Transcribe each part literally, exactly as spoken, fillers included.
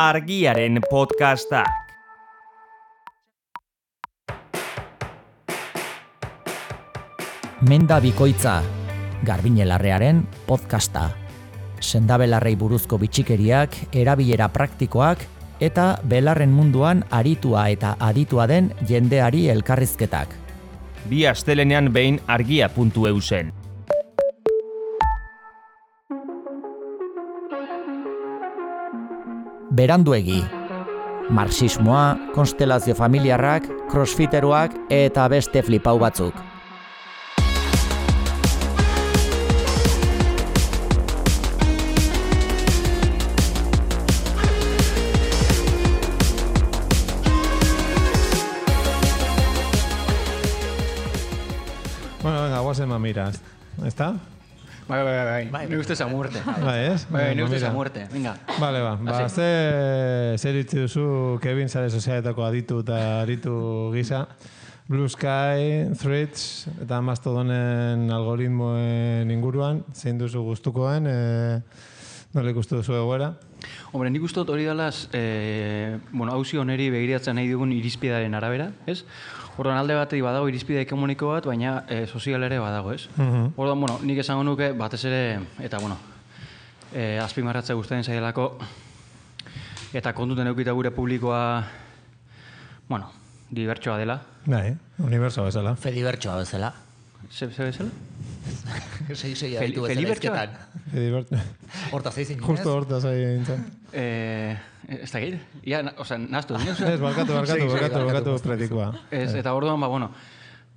Argiaren podcastak. Menda bikoitza, Garbiñe Larrearen podcasta. Sendabelarrei buruzko bitxikeriak, erabilera praktikoak eta belarren munduan aritua eta aditua den jendeari elkarrizketak. Bi astelenean behin argia puntu e u zen. Beranduegi. Marxismoa, konstelazio familiarrak, crossfiteroak eta beste flipau batzuk. Bueno, venga, guazen mamiras. ¿Está? Bai, bai, bai, bai. Ni gustez a muerte. Bai, ez? Bai, ni gustez a muerte. Venga. Vale, ba. Ba, ze zer itzi duzu Kevin sare sozialetako aditu eta aritu gisa. Blue Sky, Threads eta Mastodonen algoritmoen inguruan, zein duzu gustukoen, e, nola ikustu duzu egoera? Hombre, nik ustot hori dalaz, eh, bueno, hauzi oneri begiratzen nahi dugun irizpidearen arabera, ez? Orduan alde batetik badago irizpide ekonomiko bat, baina e, sozial ere badago, ez? Uh-huh. Orduan, bueno, nik esango nuke batez ere, eta bueno, e, azpimarratzea gustatzen zaidelako, eta kontuten eukita gure publikoa, bueno, dibertsoa dela. Bai, uniberso bezala. Fedibertsoa bezala. Ze, ze bezala? Sei sei Fel- aditu bezala Felibertsoa? izketan. Horta zei zinez? Justo horta zai nintzen. Eh, ez da gire? Ja, na, oza, naztu. Ez, barkatu, barkatu, barkatu, barkatu pretikoa. Ez, eta orduan, ba, bueno,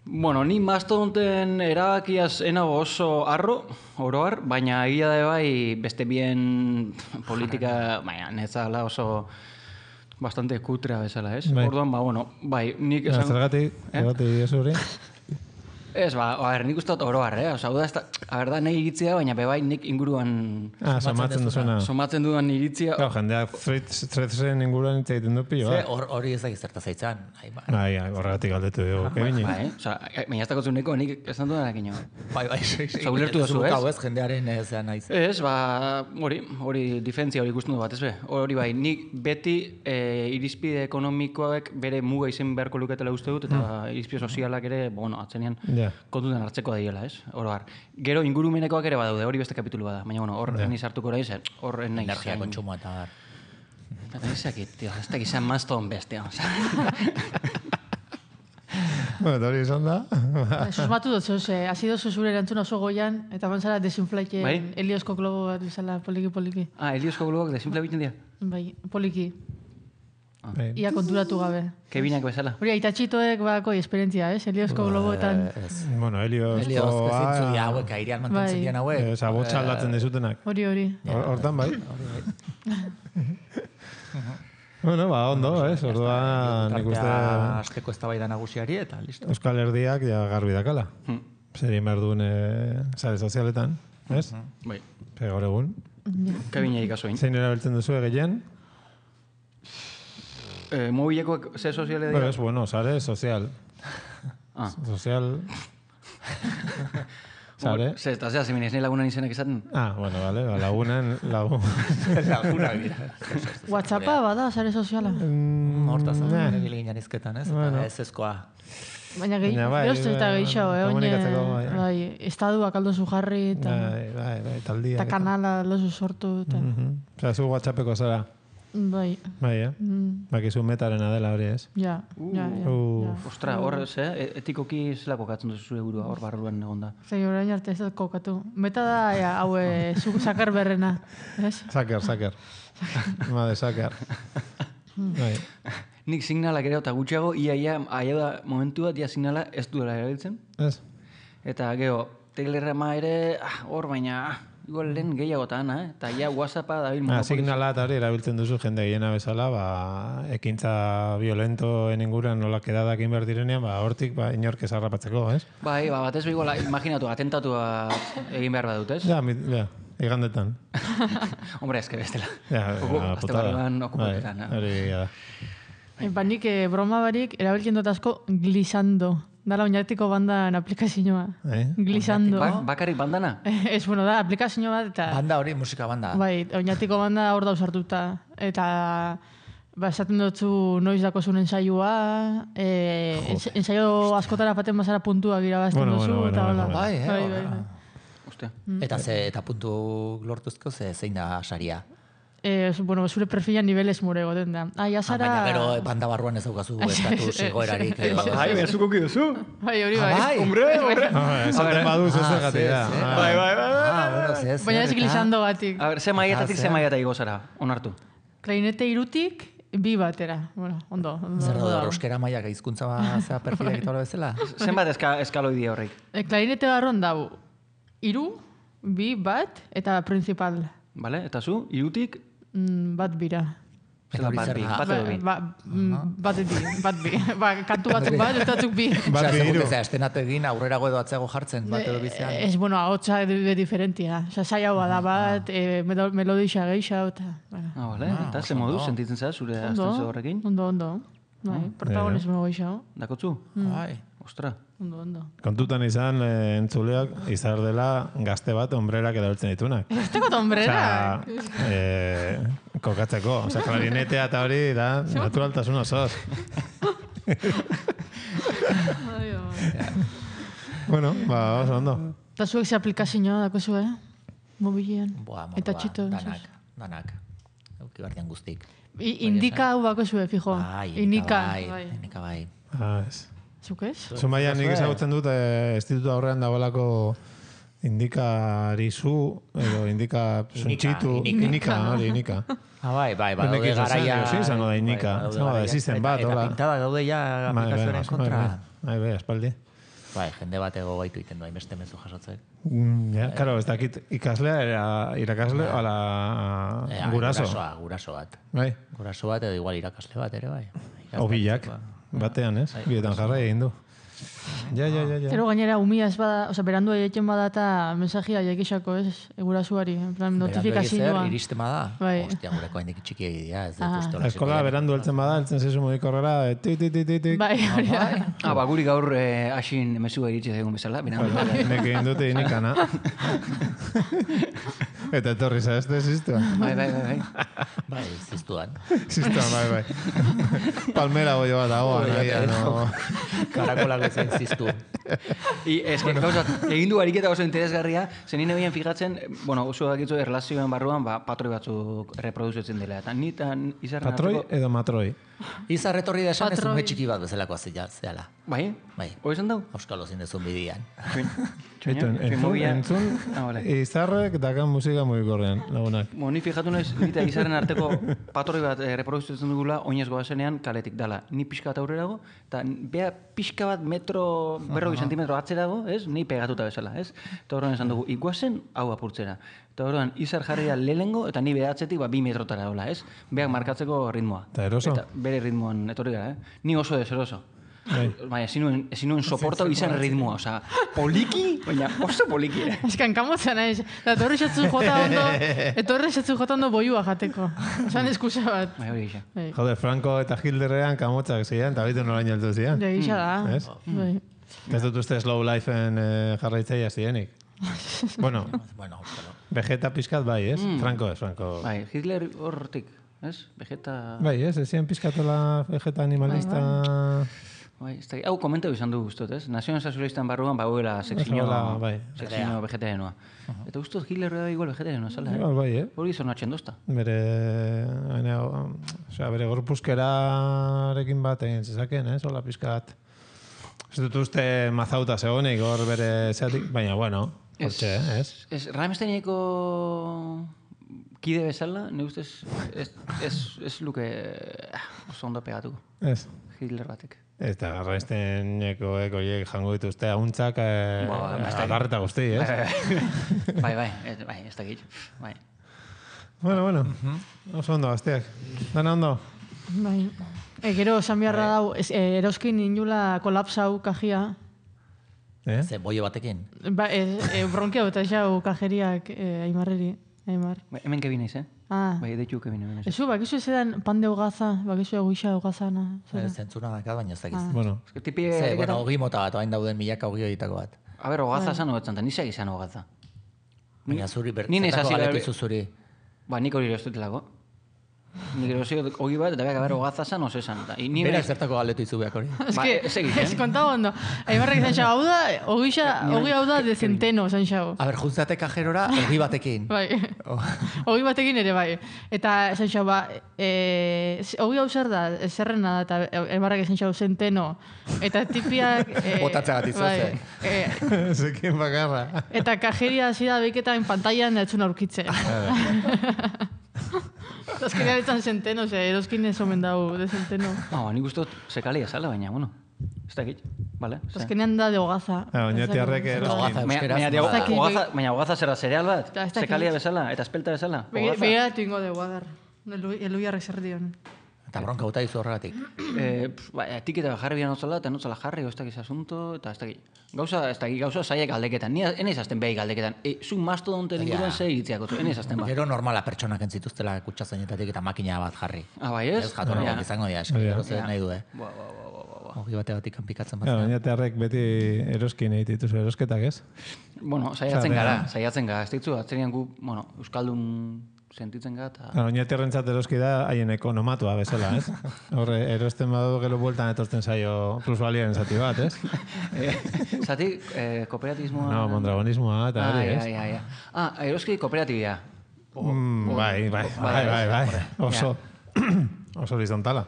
bueno, ni mastodonten erabakiaz enago oso arro, oroar, baina egia da bai beste bien politika, baina netzala oso bastante kutrea bezala, ez? Bai. Orduan, ba, bueno, bai, nik Ja, esan... zergatik, zergatik ez hori? Ez, ba, a ber, nik uste dut oroar, eh? Osa, da, ez da, a ber, da, nahi iritzia, baina bebai nik inguruan Ah, somatzen duzuna. somatzen dudan iritzia... Claro, jendeak threadsen inguruan hitz egiten du pilo, Ze ba? hor- hori ez da gizerta zaitzan. Bai, horregatik galdetu dugu, Kevini. Ba, eh? Osa, baina ez dakotzun neko, nik esan dudanak ino. Bai, bai, sei sei. Osa, ulertu duzu, ez? ez, jendearen zean naiz. Ez, ba, hori, hori diferentzia hori ikusten du bat, ez be? Hori bai, nik beti e, irizpide ekonomikoek bere muga izen beharko luketela uste dut, eta irizpide sozialak ere, bueno, atzenean Ja. kontutan hartzeko da diela, ez? Oro har. Gero ingurumenekoak ere badaude, hori beste kapitulu bada, baina bueno, hor ni sartuko naiz, hor ez naiz. Energia kontsumoa eta bar. Eta ez dakit, tío, ez dakit izan Mastodon bestea. Bueno, eta hori izan da. Susmatu dut, zuz, eh, hasi dozu zure erantzuna oso goian, eta bantzara desinflaike Bai? Eliosko globo bat bezala poliki-poliki. Ah, Eliosko globak desimple egiten dira. Bai, poliki. Bai. Ia konturatu gabe. Kevinak bezala. Hori, aitatxitoek badako esperientzia, ez? Eliosko globoetan. Ez. Bueno, Helios... Elioz, ezintzu dira hauek, airean mantentzen Bai. dian hauek. Esa botxa aldatzen dezutenak. Hori, hori. Hor- Hortan bai. Bueno, ba, ondo, ez? Orduan nik uste Azteko eztabaida nagusiari eta listo. Euskal Herriak ja garbi dakala. Zer egin behar duen e, sare sozialetan, ez? Bai. Pe gaur egun. Kevina ikasoin. Zein erabiltzen duzu gehien? Eh, mobilekoak ze soziale Bueno, dira? es bueno, sare sozial. Ah. Sozial... Sare? Ze, eta zera, zeminez, nahi lagunan izenak esaten? Ah, bueno, vale, ba, lagunen, lagun... Lagunak dira. WhatsAppa bada, sare soziala. Mm, Hortaz, nah. nire ginen izketan, ez? Bueno. Eta ez ezkoa. Baina gehi, Baina bai, geroz eta bai, gehiago, eh? komunikatzeko, bai. Oine, bai, estaduak aldo zu jarri, eta, Bai, bai, bai, taldia. eta kanala lozu sortu, eta, Mhm. Osea, zu WhatsAppeko zara. bai, Bai, eh? mm, Bakizu metarena dela hori, ez? ja, ja, ja. Uh. ja. Ostra, hor, ze, etikoki zelako katzen duzu zure burua, hor barruan egonda. Zei orain arte ez dut kokatu. Meta da, ja, hau, e, zu sakar berrena, ez? Saker, saker. Made, saker. Bai. Nik signalak ere, eta gutxiago, ia, ia, aia da momentu bat, ia signala ez duela erabiltzen. Ez? Eta gero, Telegrama ere, ah, hor baina, ah, igual lehen gehiagotan, eh? Eta ja WhatsAppa dabil Ah, monopoliz. signala eta hori erabiltzen duzu jende gehiena bezala, ba, ekintza violentoen inguruan nola kedadak egin behar direnean, ba, hortik ba, inork ezarrapatzeko, ez? Bai, ba, batez igual, imaginatu, atentatu egin behar badut, ez? Ja, mit, ja, igandetan. Hombre, eske bestela. Ja, Oku- ja, aste putada. barruan Bai, okupaketan. hori, ja. E, ba, nik e, broma barik erabiltzen dut asko glisando. Dala oinatiko bandan aplikazioa. Eh? Glissando. Ba, bakarik bandana? Ez, bueno, da, aplikazio bat eta... Banda hori, musika banda. Bai, oinatiko banda hor dauz hartuta. Eta... Ba, esaten dutzu noiz dakozun ensaioa, eh, ens, ensaio askotara paten bazara puntuak irabazten Bueno, duzu, bueno, bueno, eta bueno, hola. bueno. Bai, eh, bai, hola. bai, bai. Uste. Eta ze, eta puntu lortuzko, ze zein da saria. Eh, bueno, zure perfilan niveles more egoten da. Ah, Ah, jasara... baina gero banda barruan ez daukazu estatu zigoerarik. edo- Bai, bezuko kiduzu. Bai, hori Ah, bai. bai. Hombre, hombre. Ah, esaten badu Ah, zuzergatik da. ze, ze. Ah, Bai, bai, bai. Ah, bueno, ze, ze, Baina ez eta- glissando gatik. A ber, ze maiatatik, Ah, ze ze. maiata igo zara, onartu. Klarinete irutik, bi batera. Bueno, ondo. ondo Zer ondo da, dago. euskera maiak hizkuntza ba, zea perfilak eta hori bezala? Zenbat eska, eskaloidia horrek? E, klarinete barron dau, iru, bi, bat, eta principal. Vale? Eta zu, irutik, Mm, bat bira. Eta hori bat zer bi, da? bat edo bi. Ba, mm, bat bi, bat bi. Ba, kantu batzuk bat, eta batzuk bi. Bat Osea, bi segun hiru. bezala, estenatu egin aurrerago edo atzeago jartzen, bat edo bizean. Ez, bueno, ahotsa be diferentia. Osa, saia da bat, e, melodisa geixa, eta... Bueno, Ah, vale. Ah, Eta oso ze modu ondo. sentitzen zara zure ondo, astentzo horrekin? ondo, ondo. Bai, protagonismo geixa. Dakotzu? Bai. Ostra. Ondo, ondo. Kontutan izan, eh, entzuleak, izar dela gazte bat ombrerak erabiltzen ditunak. Ez teko ombrera. Osea, eh, kokatzeko. Osea, klarinetea eta hori da naturaltasun osoz. Ai, ai. Bueno, ba, oso ondo. Eta zuek ze aplikazioa dako zu, eh? Mobilean. Boa, morroa, Eta txito. danak, danak. Euki bardian guztik. I, indika hau bako zu, fijo. Bai, Inika. bai, inika bai. Ah, ez. Zuk ez? Zumaia nik ezagutzen dut, eh, institutu aurrean dagoelako indikari zu, edo indika suntxitu. inika. Inika, hori, inika. Ah, bai, bai, bai, Nik daude ez dut garaia... zen, sí, izango da inika. Bai, daude Izango da, garaia. existen Eta- bat, Eta hola. pintada daude ja Bai, bai, aplikazioaren bai, kontra. bai, bai, espaldi. Bai, jende bat ego gaitu iten du, hainbeste mezu jasotzek. Mm, ja, karo, ez dakit ikaslea, era, irakasle, ala Eh, guraso. Gurasoa, guraso bat. Bai, Guraso bat edo igual irakasle bat ere, bai. obilak, batean, ez? Bietan jarrai egin du. Ja, ja, ja, ja. Zero gainera umia ez bada, oza, berandu egiten bada eta mensajia jakixako, ez? Egurasuari, en plan, notifikazioa. Iristen bada. Bai. Hostia, gureko haindik txiki egitea, ez dut Ah. uste hola Eskola berandu heltzen bada, heltzen zezu mugikorrera, eh, tik, tik, tik, tik, tik. Bai, hori da. Ah, ba, guri gaur eh, hasin mezua iritsi zaigun bezala. Bina, Nek egin dute inikana. Eta etorri zaezte ziztua. bai, bai, bai, bai. Bai, ziztuan. Ziztua, bai, bai. Palmera goio bat dagoan, agian, no. Karakolak bezain ziztu. I, ez, que, gauzat, egin du ariketa oso interesgarria, zen nire behien fijatzen, bueno, oso dakitzu erlazioen barruan, ba, patroi batzuk reproduzitzen dela. Eta ni tan izarren Patroi arteko... edo matroi. Izar etorri da esan ez Patroi. ume txiki bat bezalako azila, zehala. Bai? Bai. Hoi esan dau? Euskalo zindezun bidian. Itu, entzun, entzun, Ah, vale. izarrek dakan musika mugikorrean, lagunak. Bo, ni fijatu naiz, ni eta izarren arteko patroi bat eh, reproduzitzen dugula, oinez goazenean kaletik dala. Ni pixka bat aurrerago, eta bea pixka bat metro, berroi sentimetro atzerago, ez? Ni pegatuta bezala, ez? Eta horren esan dugu, iguazen hau apurtzera. Eta horren, izar jarri da lehengo, eta ni behatzetik ba, bi metrotara dola, ez? Beak markatzeko ritmoa. Eta eroso? Eta bere ritmoan etorri gara, eh? Ni oso deseroso. Bai. Baina, ezin nuen, ezin nuen soportau izan ritmoa, osea, poliki, baina oso poliki, eh? Ez que hankamotzen naiz. Eta etorri xatzu jota ondo, etorri xatzu jota ondo boiua jateko. Osan eskusa bat. Bai, hori gisa. Bai. Jode, Franco eta Hilderrean kamotzak ziren, eta bitu noraino heldu ziren. Ja, gisa da. Ez? Bai. Ez dut uste slow lifeen eh, jarraitzaia zirenik. Bueno, Bueno, Euskalo. Vegeta pizkat bai, ez? Franco ez, Franco. Bai, Hitler hortik, ez? Vegeta... Bai, ez? Ezien pizkatola Vegeta animalista... Bai, ez da, hau komentau izan du guztot, ez? Nazioen Sozialistan barruan bauela sekzio, Oso, bai. sekzio vegetarianoa. Eta guztot Hitler da igual vegetarianoa, zala, Igual eh? bai, eh? Hori izan atxen dozta. Bere, ene, osea, bere gorpuzkerarekin bat egin zezaken, ez? Hola pizkat. Ez dut uste mazauta zegoenik hor bere zeatik, baina bueno, hortxe, ez? Ez, Rammsteineko kide bezala, ne ustez, ez, ez, ez luke ah, oso ondo pegatuko, Ez. Hitler batek. Eta garraizteneko ekoiek jango dituzte hauntzak eh, Ba, ba, ez dakit. adarreta guzti, ez? Bai, bai, ez, bai, ez dakit. Bai. Bueno, bueno, oso ondo, gazteak. Dana ondo? Bai. E, gero, esan beharra dau, ez, e, eroskin inula kolapsau kajia. Eh? Ze boio batekin. Ba, e, e, bronkia eta xau kajeriak e, aimarreri. Aimar. Ba, hemen kebin naiz, eh? Ah. Bai, deitu kebin hemen. Ezu, bakizu ez edan pan de hogaza, bakizu eguixa hogazana. Zentzuna dakat, baina ez dakiz. Bueno, Ez que tipi... Ze, bueno, ogi mota bat, oain dauden milaka ogi horietako bat. A ber, hogaza esan hogetzen, ni segi esan hogaza. Baina zuri, Ni naiz bertzatako hasi galetu gabe- izu zuri. Ba, nik hori erostutelako. Nik erosi ogi bat, eta beak haber hogaza esan, oso esan. Ta, ni Berak zertako galetu izu behak hori. Es Ba, que, ez egiten. ez kontaba ondo. Aimarrek izan xau, hau da, ogixa, ogi hau da de centeno, zan xau. A ber, juntzate kajerora, ogi batekin. Bai, Oh. ogi batekin ere bai. Eta esan xau, ba, e, ogi hau zer da, zerrena da, eta Aimarrek esan xau centeno. Eta tipiak... E, Botatzeagatik bai, e, zekin bakarra. eta kajeria hasi da beiketan pantailan etzun aurkitzen. Azkenean etzan centeno, ze eroskin ez omen dau de centeno. Ah, ba, nik uste dut sekalia zala, baina, bueno. Ez dakit, bale? ze. Azkenean da de hogaza. Ah, oinatiarrek Ez dakit. eroski. Hogaza Baina, euskeraz. baina, nola da? dakit. hogaza, baina hogaza zera zereal bat? Ez dakit. Sekalia bezala, eta espelta bezala? Begi- Hogaza? Begiratu ingo de guadar. Elu jarrek zer dion. Eta bronka guta izu horregatik. Eh, pf, ba, etiketa jarri bian otzala, eta notzala jarri, ez dakiz asunto, eta ez dakit. Gauza, ez dakit, gauza zaiak galdeketan. Ni enez azten behi galdeketan. E, zu mastodonten inguruan ze iritziako zu, enez azten ba. Gero normala pertsonak entzituztela kutsazainetatik eta makina bat jarri. Ah, bai ez? Ez jatorrak Ja. izango dira, eski, gero zer nahi du, eh? Ba, ba, ba, ba, ba, ba. Ogi bategatik kanpikatzen bat. Ja, oinatiarrek beti eroskin egite dituzu erosketak, ez? Bueno, saiatzen Osea, gara, bea- saiatzen gara. Ez ditzu, atzerian gu, bueno, Euskaldun sentitzen gara, eta... Ja, oinatiarrentzat eroski da haien ekonomatua bezala, ez? Horre, erosten badu gero bueltan etortzen zaio plusbaliaren zati bat, ez? Eh, Zati, eh, kooperatibismoa... No, mondragonismoa eta Ah, hori, ja, ez? ja, ja. Ah, eroski kooperatibia. Mm, bai, bai, bai, bai, bai. Oso, oso horizontala.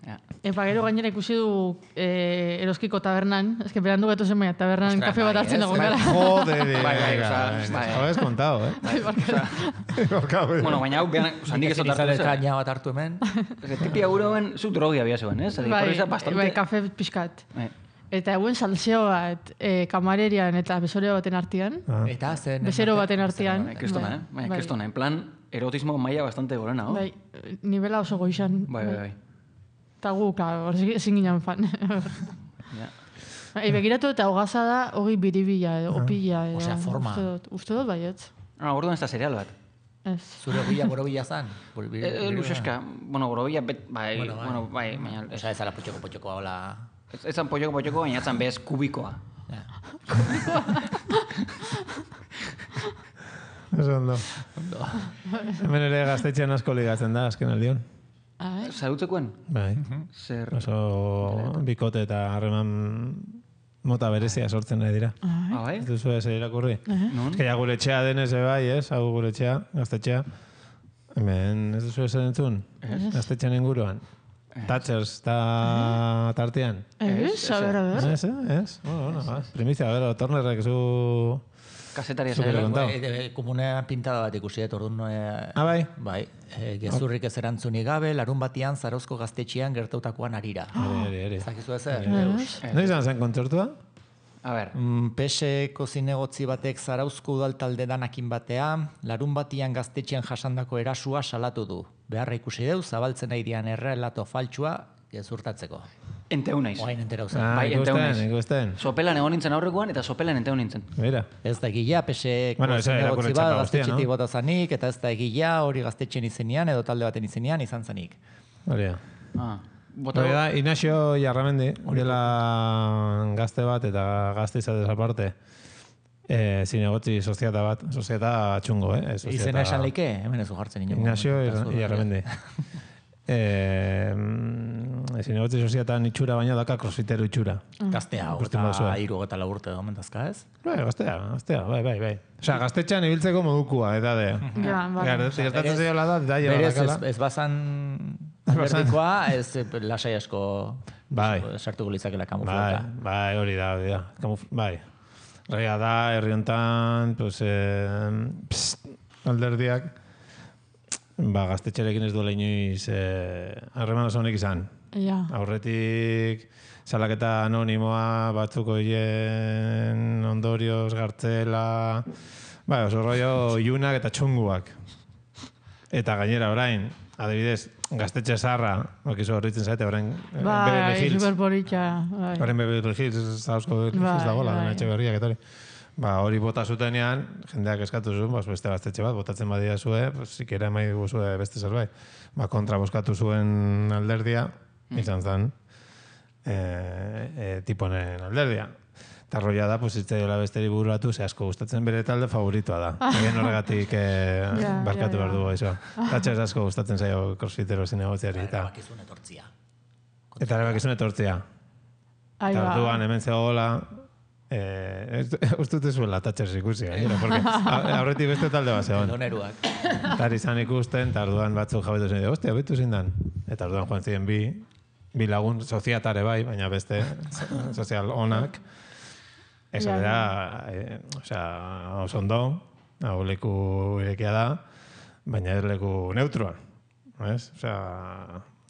Ja. Epa, gero gainera ikusi du eh, eroskiko tabernan, ez que berandu gatu zen baina tabernan Ostras, kafe bat bai, hartzen ez? dago Bai, gara. Joder, Bai, bai, venga, osea, venga. bai. Habéis contado, eh? Barkatu. Bueno, baina hau, behan, oza, nik ez dut hartu zen. kaina bat hartu hemen. Tipi aguroen, zu drogia bia zuen, ez? Bai, Bai, bastante... bai, kafe pixkat. Eh, Eta eguen salseo bat eh, kamarerian eta besorio baten artean. Eta zen... Bezero baten artean. Bai, kristona, eh? Baina, kristona, en plan, erotismo maila bastante gorena, no? Bai, nivela oso goizan. Bai, bai, bai. Eta gu, claro, hor ezin ginen fan. Ja. Bai, begiratu eta hogaza da, hogi biribila, edo, opila. Edo, Osea, forma. Uste dut, uste dut baietz. Ah, orduan ez da cereal bat. Ez. Zure ogila borobila zan? E, e, Luxeska, bueno, gorobila, bet, bai, Bueno, bai. bueno, bai, baina... Ez, Osa ez ala potxoko potxoko hola... ez, ez zan polloko polloko, baina etzan bez kubikoa. Ja. Eso ondo. Hemen ere gaztetxean asko ligatzen da, azken aldion. Ah, Zarutzekoen? Bai. Zer... Oso bikote eta harreman mota berezia sortzen nahi dira. Ah, bai? Ez duzu ez irakurri? Non? Ez que ja gure etxea denez e bai, ez? Hau gure etxea, gaztetxea. Hemen ez duzu ez entzun? Gaztetxean inguruan. Thatchers eta tartean. ez, a ber, a ber. Ez, eh? ez? Bueno, bueno, ba. Primizia, a ver, Tornerrek zu... Kasetaria Zuk ere zera. kontau. E, e, komunean pintada bat ikusi dut, orduan... E, Ah, bai? Bai, e, gezurrik ez erantzunik gabe, larun batian Zarauzko gaztetxean gertautakoan arira. Ere, ere. Ez dakizu ezer? Noiz izan zen kontzertua? A ber, Mm, P S Eko zinegotzi batek Zarauzko udaltalde danakin batea, larun batian gaztetxean jasandako erasua salatu du. Beharra ikusi deu, zabaltzen nahi dian errelato faltsua gezurtatzeko. enteu naiz. Oain entera uzen. Ah, Bai, enteu ikusten, naiz. ikusten. Sopelan egon nintzen aurrekoan, eta sopelan enteu nintzen. Mira. Ez da egila, P S Eko Bueno, eso zinegotzi irakurri bat txapa guztia, gaztetxetik no? bota zanik, eta ez da egila hori gaztetxen izenean edo talde baten izenean izan zanik. Hori da. Ah, bota... Hori da, Inaxio Jarramendi, dela gazte bat eta gazte izatez aparte. E, zinegotzi soziata bat, soziata txungo, eh? Ez soziata- Izena esan leike, hemen ez du jartzen inongo. Ignacio momentu, eta zu- Jarramendi. Eh, mm, zinegotzi soziatan itxura baina daka crossfitero itxura. Gaztea, Ikusten eta baduzue. hiru eta lau urte domentazka ez? Bai, gaztea, gaztea, bai, bai, bai. Osea, gaztetxean ibiltzeko modukua, eta de. Ja, bai. Gertatzen berez- zaiola da, da jela Berez ez, dakala. ez bazan alderdikoa, ez eh, lasai asko Bai. sartuko litzakela Bai, kamuflauta. bai, hori da, hori da. Kamuf bai. Regia da, herri hontan, pues, eh, pst, alderdiak, ba, gaztetxerekin ez duela inoiz eh, harreman oso honek izan. Ja. Aurretik salaketa anonimoa batzuk horien ondorioz gartzela, bai, oso rollo ilunak eta txunguak. Eta gainera orain, adibidez, gaztetxe zarra, bakizu horritzen zaite, orain eh, Bai, Beverly Hills. superpolitxa. Bai. Orain Beverly Hills, Zarauzko Beverly Bai, Hills dagoela, bai. dena etxe berriak eta hori. ba, hori bota zutenean, jendeak eskatu zuen, bas, beste gaztetxe bat, botatzen badia zue, pues, zikera emai guzue beste zerbait. Ba, kontra boskatu zuen alderdia, izan zen, e, e, tiponen alderdia. Eta roia da, pues, itzaiola besteri bururatu, ze asko gustatzen bere talde favoritoa da. Egin horregatik eh, Ja, barkatu ja, behar ja. dugu, iso. Tatxez asko gustatzen zaio crossfitero zinegotziari. Eta, Bakizun etortzia. eta erabakizun etortzea. Ahí Eta va. orduan hemen zegoela, eh, ez dute zuela tatxez ikusi, gainera, porque a- aurretik beste talde bat zegoen. Doneruak. Eta izan ikusten, eta orduan batzuk jabetu zen, ostia, betu zindan. Eta orduan joan ziren bi, bi lagun soziatare bai, baina beste so- sozial onak. Ez Ja, da, eh, osea, oso ondo, hau leku irekia da, baina ez leku neutroan. Ez? Osea,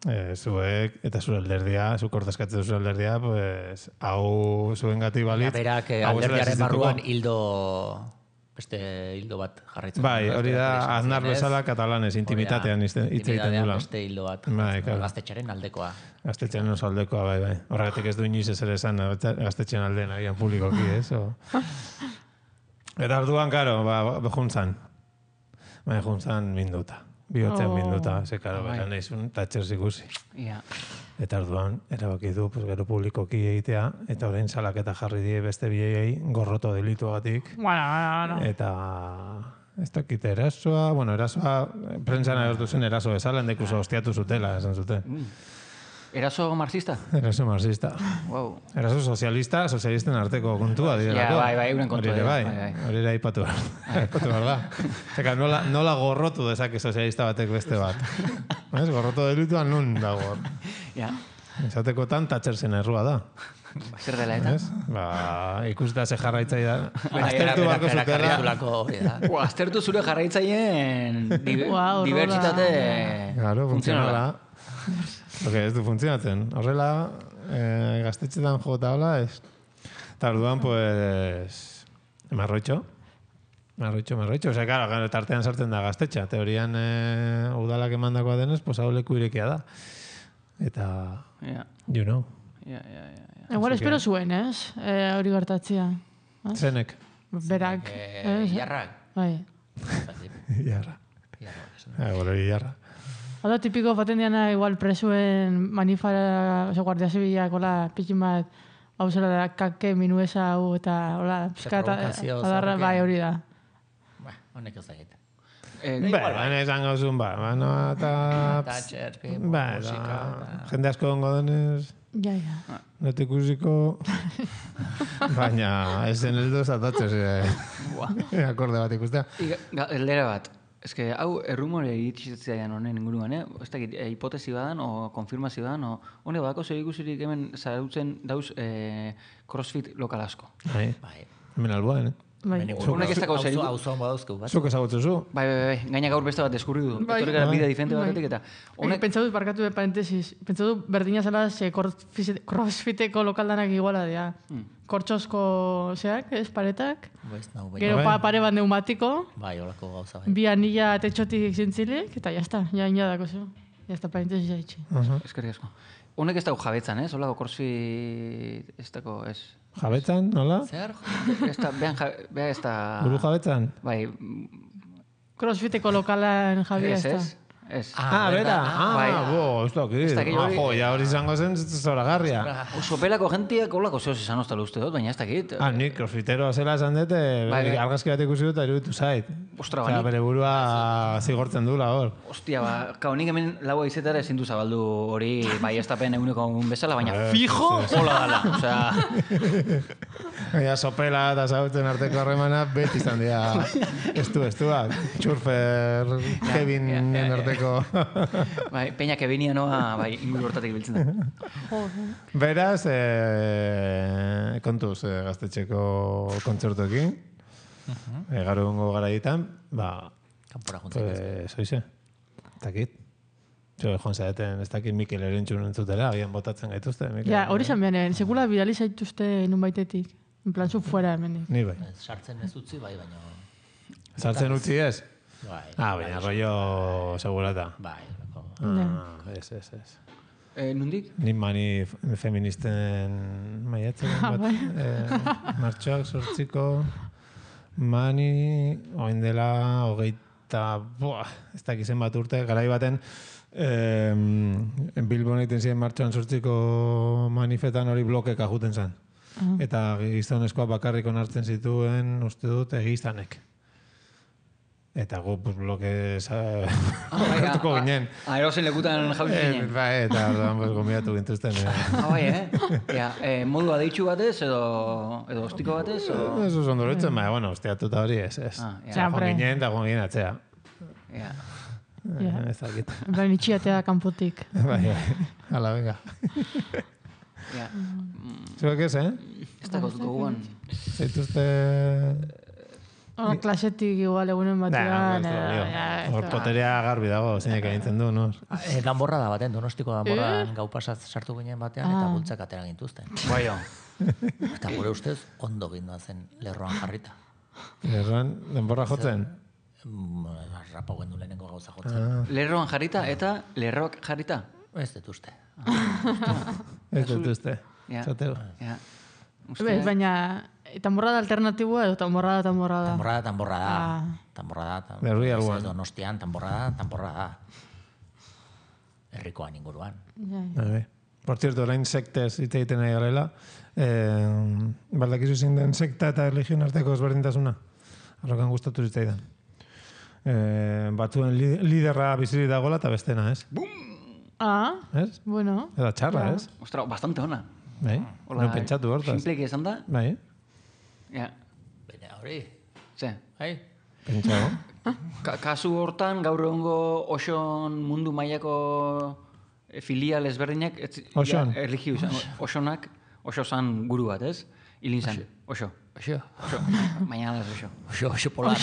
eh, zuek eta zure alderdia, zuk ordezkatzen zure alderdia, pues, hau zuen gati balitz. Berak eh, hau ez dela alderdiaren existituko. barruan hildo beste hildo bat jarraitzen. Bai, du, ez? hori da, Bere Aznar esan bezala zienez, katalanez, intimitatean hitz egiten intimitatean dula. beste hildo bat. Bai, jarraitzen du, claro. Gaztetxearen aldekoa. Gaztetxean oso aldekoa, bai, bai. Horregatik ez du inoiz ezer esan gaztetxean aldeen agian publikoki, ez? O... Eta orduan, karo, ba, ba, juntzan. Bai, juntzan minduta. Bihotzen Oh. minduta, ze, karo, Bai. bera nahizun, tatxers ikusi. Ja. Eta orduan, erabaki du, pues, gero publikoki egitea, eta orain salaketa jarri die beste biei gorroto delituagatik. Bueno, bueno, bueno. Eta ez dakit erasoa, bueno, erasoa, prentsan agertu zen eraso bezala, endekuso hostiatu zutela, esan zuten. Eraso marxista? Eraso marxista. Wow. Eraso sozialista, sozialisten arteko kontua direlako. Ja, bai, bai, euren kontua Hori ere dira, bai, bai, bai. hori ere aipatu behar. Aipatu behar da. Eka, nola, nola gorrotu dezake sozialista batek beste bat. Ez, gorroto delituan nun dago. Ja. Esatekotan tatxerzen errua da. Zer dela eta? Ez? Ba, ikusita ze jarraitzai da. Bueno, Aztertu berak- barko berak zutela. jarraitulako hori da. Ua, aztertu zure jarraitzaileen di Wow, dibertsitate Claro, funtzionala. funtzionala. Porque ez du funtzionatzen. Horrela, eh, gaztetxetan jota hola, ez. Eta orduan, pues, marroitxo. Marroitxo, marroitxo. Osea, claro, claro, tartean sartzen da gaztetxa. Teorian eh, udalak emandakoa denez, pues hau leku irekia da. Eta, Ja, you know, ja, ja, ja. Igual Así que- espero zuen, ez? Eh, hori gertatzia. zenek. Berak. Eh, ez? Jarrak. Bai. Jarra. Jarrak, esan. Ah, hori jarra. Hada tipiko faten diana igual presuen manifara, oza, guardia zibilak, hola, pikin bat, hau zela da, kake, minuesa, hau, eta, hola, pizka, eta, provokazio, adarra, zarke. bai, hori da. Ba, honek ez da egiten. Eh, Ba, baina esango zuen, ba, baina eta... Tatxer, Ba, musika, eta eta... jende asko ongo denez, Ja, ja. net ikusiko, baina ez zen heldu zatatzez eh, akorde bat ikustea. Iga- ga- Galdera bat. Ez que, hau, errumore iritzitzaian honen inguruan, eh? Ez dakit, eh, hipotesi badan, o konfirmazio badan, o hone badako zer ikusirik hemen zarautzen dauz eh, crossfit lokal asko. Bai, Bai. hemen alboan, eh? Bai. Honek ez dako zer Auzo- iku- auzo hon badauzkeu, bat. Zuk ezagutzen zu? Bai, bai, bai, gaina gaur beste bat deskurri du. Bai. Etorri gara Bai. bide diferente Bai. batetik eta Honek... honek... Pentsatu dut, barkatu de parentesis, pentsatu dut berdina zela ze crossfit- crossfiteko lokaldanak iguala dira. Kortxosko, zeak, ez, paretak, Baiz, nau, bai. gero Bai. pa, pare bat neumatiko, Bai, holako gauza bai. bi anilla tetxotik zintzilik, eta jazta, ja ina dako zu. Jazta parentesis jaitxe. Eskerrik asko. Honek ez dago jabetzan, ez? Olako crossfit... Ez dago, ez... Jabetzan, nola? Zer? Ez da, behan, ja, beha ez da... Buru jabetzan? Bai, Crossfiteko lokalan Javi ez, ez ez? Ez. Ah, bera, ah, Bai. bo, ez dakit. Ez dakit Ah, hori- jo, ja hori izango zen zoragarria. Sopelako gentiak olako zehoz izan ostalo uste dut, baina ez dakit. Ah, nik crossfitero zela esan dute, Bai, bai. argazki bat ikusi dut, eta iruditu zait. Ostra, Osea, bani. bere burua zigortzen dula hor. Ostia, ba, kao nik hemen laua izetara ezin du zabaldu hori bai estapen eguneko bezala, baina Eh, fijo hola dala. Osea, Ja, sopela eta zautzen arteko harremana beti izan dira estu, estuak. Txurfer, Kevinen ja, ja. arteko. bai, peñak ebinia noa, bai, inguru hortatik biltzen da. Beraz, eh, kontuz eh, gaztetxeko kontzertuekin, eh, gaur egungo garaitan, ba, Kanpora juntzen. pues, oize, ez dakit. Jo, joan zaeten, ez dakit Mikel Erentzun entzutera, agian botatzen gaituzte. Mikel. Ja, hori zan behar, sekula bidali zaituzte nun baitetik. En plan, zu fuera hemendik. Ni bai. Ez, sartzen ez utzi, bai, baina... Sartzen utzi ez? Bai, Ah, baina rollo segurata. bai, lako. Ah, ez, ez, ez. Eh, nundik? Ni mani feministen maiatzen bat, eh, martxoak sortziko, Mani, oin dela, hogeita, buah, ez dakizen bat urte, garai baten, eh, Bilbon egiten ziren martxoan sortziko manifetan hori blokeka juten zen. Uh-huh. Eta gizonezkoa bakarrik onartzen zituen, uste dut, egizanek. Eta gu, pues, bloke hartuko ginen. Ah, erosin lekutan jauz ginen. Ba, eta orduan, pues, gomiatu gintuzten. Ah, bai, eh? Ja, eh, modu adeitxu batez, edo, edo ostiko batez, o... Eso son doroitzen, baina, bueno, ostiatuta hori ez, ez. Ah, ja. Joan ginen, eta joan ginen atzea. Ja. Ja. Ez dakit. Baina itxiatea kanpotik. Bai, bai. Hala, venga. Ja. Zuek ez, eh? Ez dakot gogoan. Zaituzte... Oh, klasetik igual egunen batean. Hor poterea garbi dago, zeinek egintzen du, no? E, danborra da baten, donostiko danborran gau pasat sartu ginen batean, eta bultzak atera gintuzten. Bai, Eta gure ustez, ondo gindoa zen lerroan jarrita. Lerroan, denborra jotzen? Rapo gendu lehenengo gauza jotzen. Lerroan jarrita eta lerroak jarrita. Ez dut uste. Ez dut uste. Ja. Zateu. Ja. Be, baina, tamborrada alternatiboa edo tamborrada, tamborrada? Tamborrada, tamborrada. Ah. Tamborrada, Berri alguan. Donostian, tamborrada, tamborrada. Herrikoan inguruan. Ja, ja. Vale. Por cierto, orain sektez hitz egiten nahi garela, eh, baldakizu zein den sekta eta religion arteko ezberdintasuna. Arrokan gustatu zitzaidan. Eh, batzuen li, liderra bizirik dagoela eta bestena, ez? Ah, Ez? bueno. Eta txarra, Ja. ez? Ostra, bastante ona. Bai? No pentsatu hortaz. Simpleki esan da? Bai? Ja. Baina hori, Ze. hai? Pentsago. Ka kasu hortan, gaur egungo oson mundu mailako eh, filial ezberdinak, ez, Oson. Ja, erlijio izan, osonak, oso zan guru bat, ez? Hilin zan, oso. Oxo, Oso, baina ez oso. oxo, oxo polar.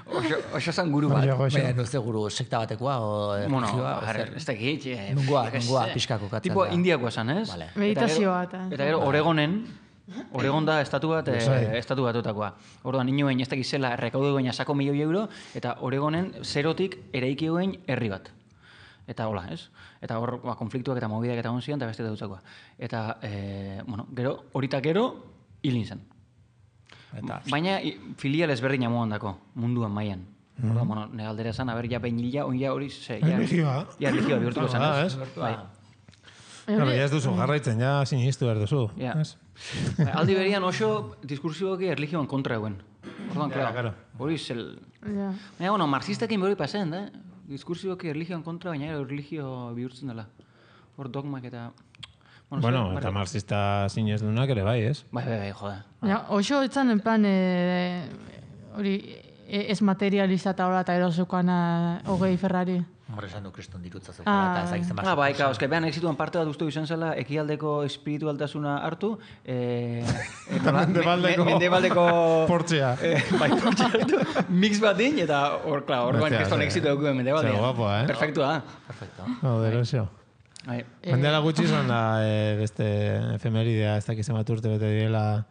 Oso, oso zan guru bat. Oso, oso. Baina nuzte guru sekta batekoa, o Bueno, erlijioa, o jar, zer? ez dakit. eh, Nungoa, yo que nungoa, sé. pixka kokatzen Tipo da. indiakoa zan, ez? Vale. Meditazioa Eta eta. gero- Eta gero Oregonen, Oregon da estatu bat, eh, estatu batutakoa. Orduan, inoen ez dakiz zela rekaudu baina sako milioi euro, eta Oregonen zerotik eraiki duen herri bat. Eta hola, ez? Eta hor, ba, konfliktuak eta mobidak eta onzian, eta beste dutzakoa. Eta, eh, bueno, gero, horitak gero, hilin zen. Eta, Baina i- filial ezberdina moan dako, munduan mailan. Orduan, bueno, negaldera esan, aber, ja behin hila, oin ja hori, ze, ja... Erlijioa. Ja, erlijioa bihurtuko zen, Ah, ez? ez? Bai. Claro, ja ez duzu jarraitzen, ja sinistu behar duzu. Ja. ez? Bai, aldi berian oso diskursioki erlijioan kontra eguen. Orduan, Ja, claro, claro. hori zel... Ja. Baina, bueno, marxistekin behori pasen, da? Diskursioki erlijioan kontra, baina gero erlijio bihurtzen dela. Hor dogmak eta... Bueno, zer, eta barri- marxista sinesdunak ere bai, ez? Bai, bai, bai, jode. Ja, oso etzan en plan, eh, hori, e- ez materialista eta hola eta erosukana hogei Ferrari. Hombre, esan du kriston dirutza Ah, zeukala, eta ez dakizten Ah, bai, kao, eske behan exituan parte bat uste izan zela, ekialdeko espiritualtasuna hartu, eh, eta la- Mendebaldeko- me- mendebaldeko Portzea. eh, bai, portzea hartu, mix bat din, eta hor, klar, orduan Hostia, kriston ze- exitu dukuen mendebaldean. ze guapoa, eh? Perfektua da. Perfecto. Joder, eso. Bai. Jendela gutxi izan da eh, beste efemeridea, ez dakizen bat urte bete direla,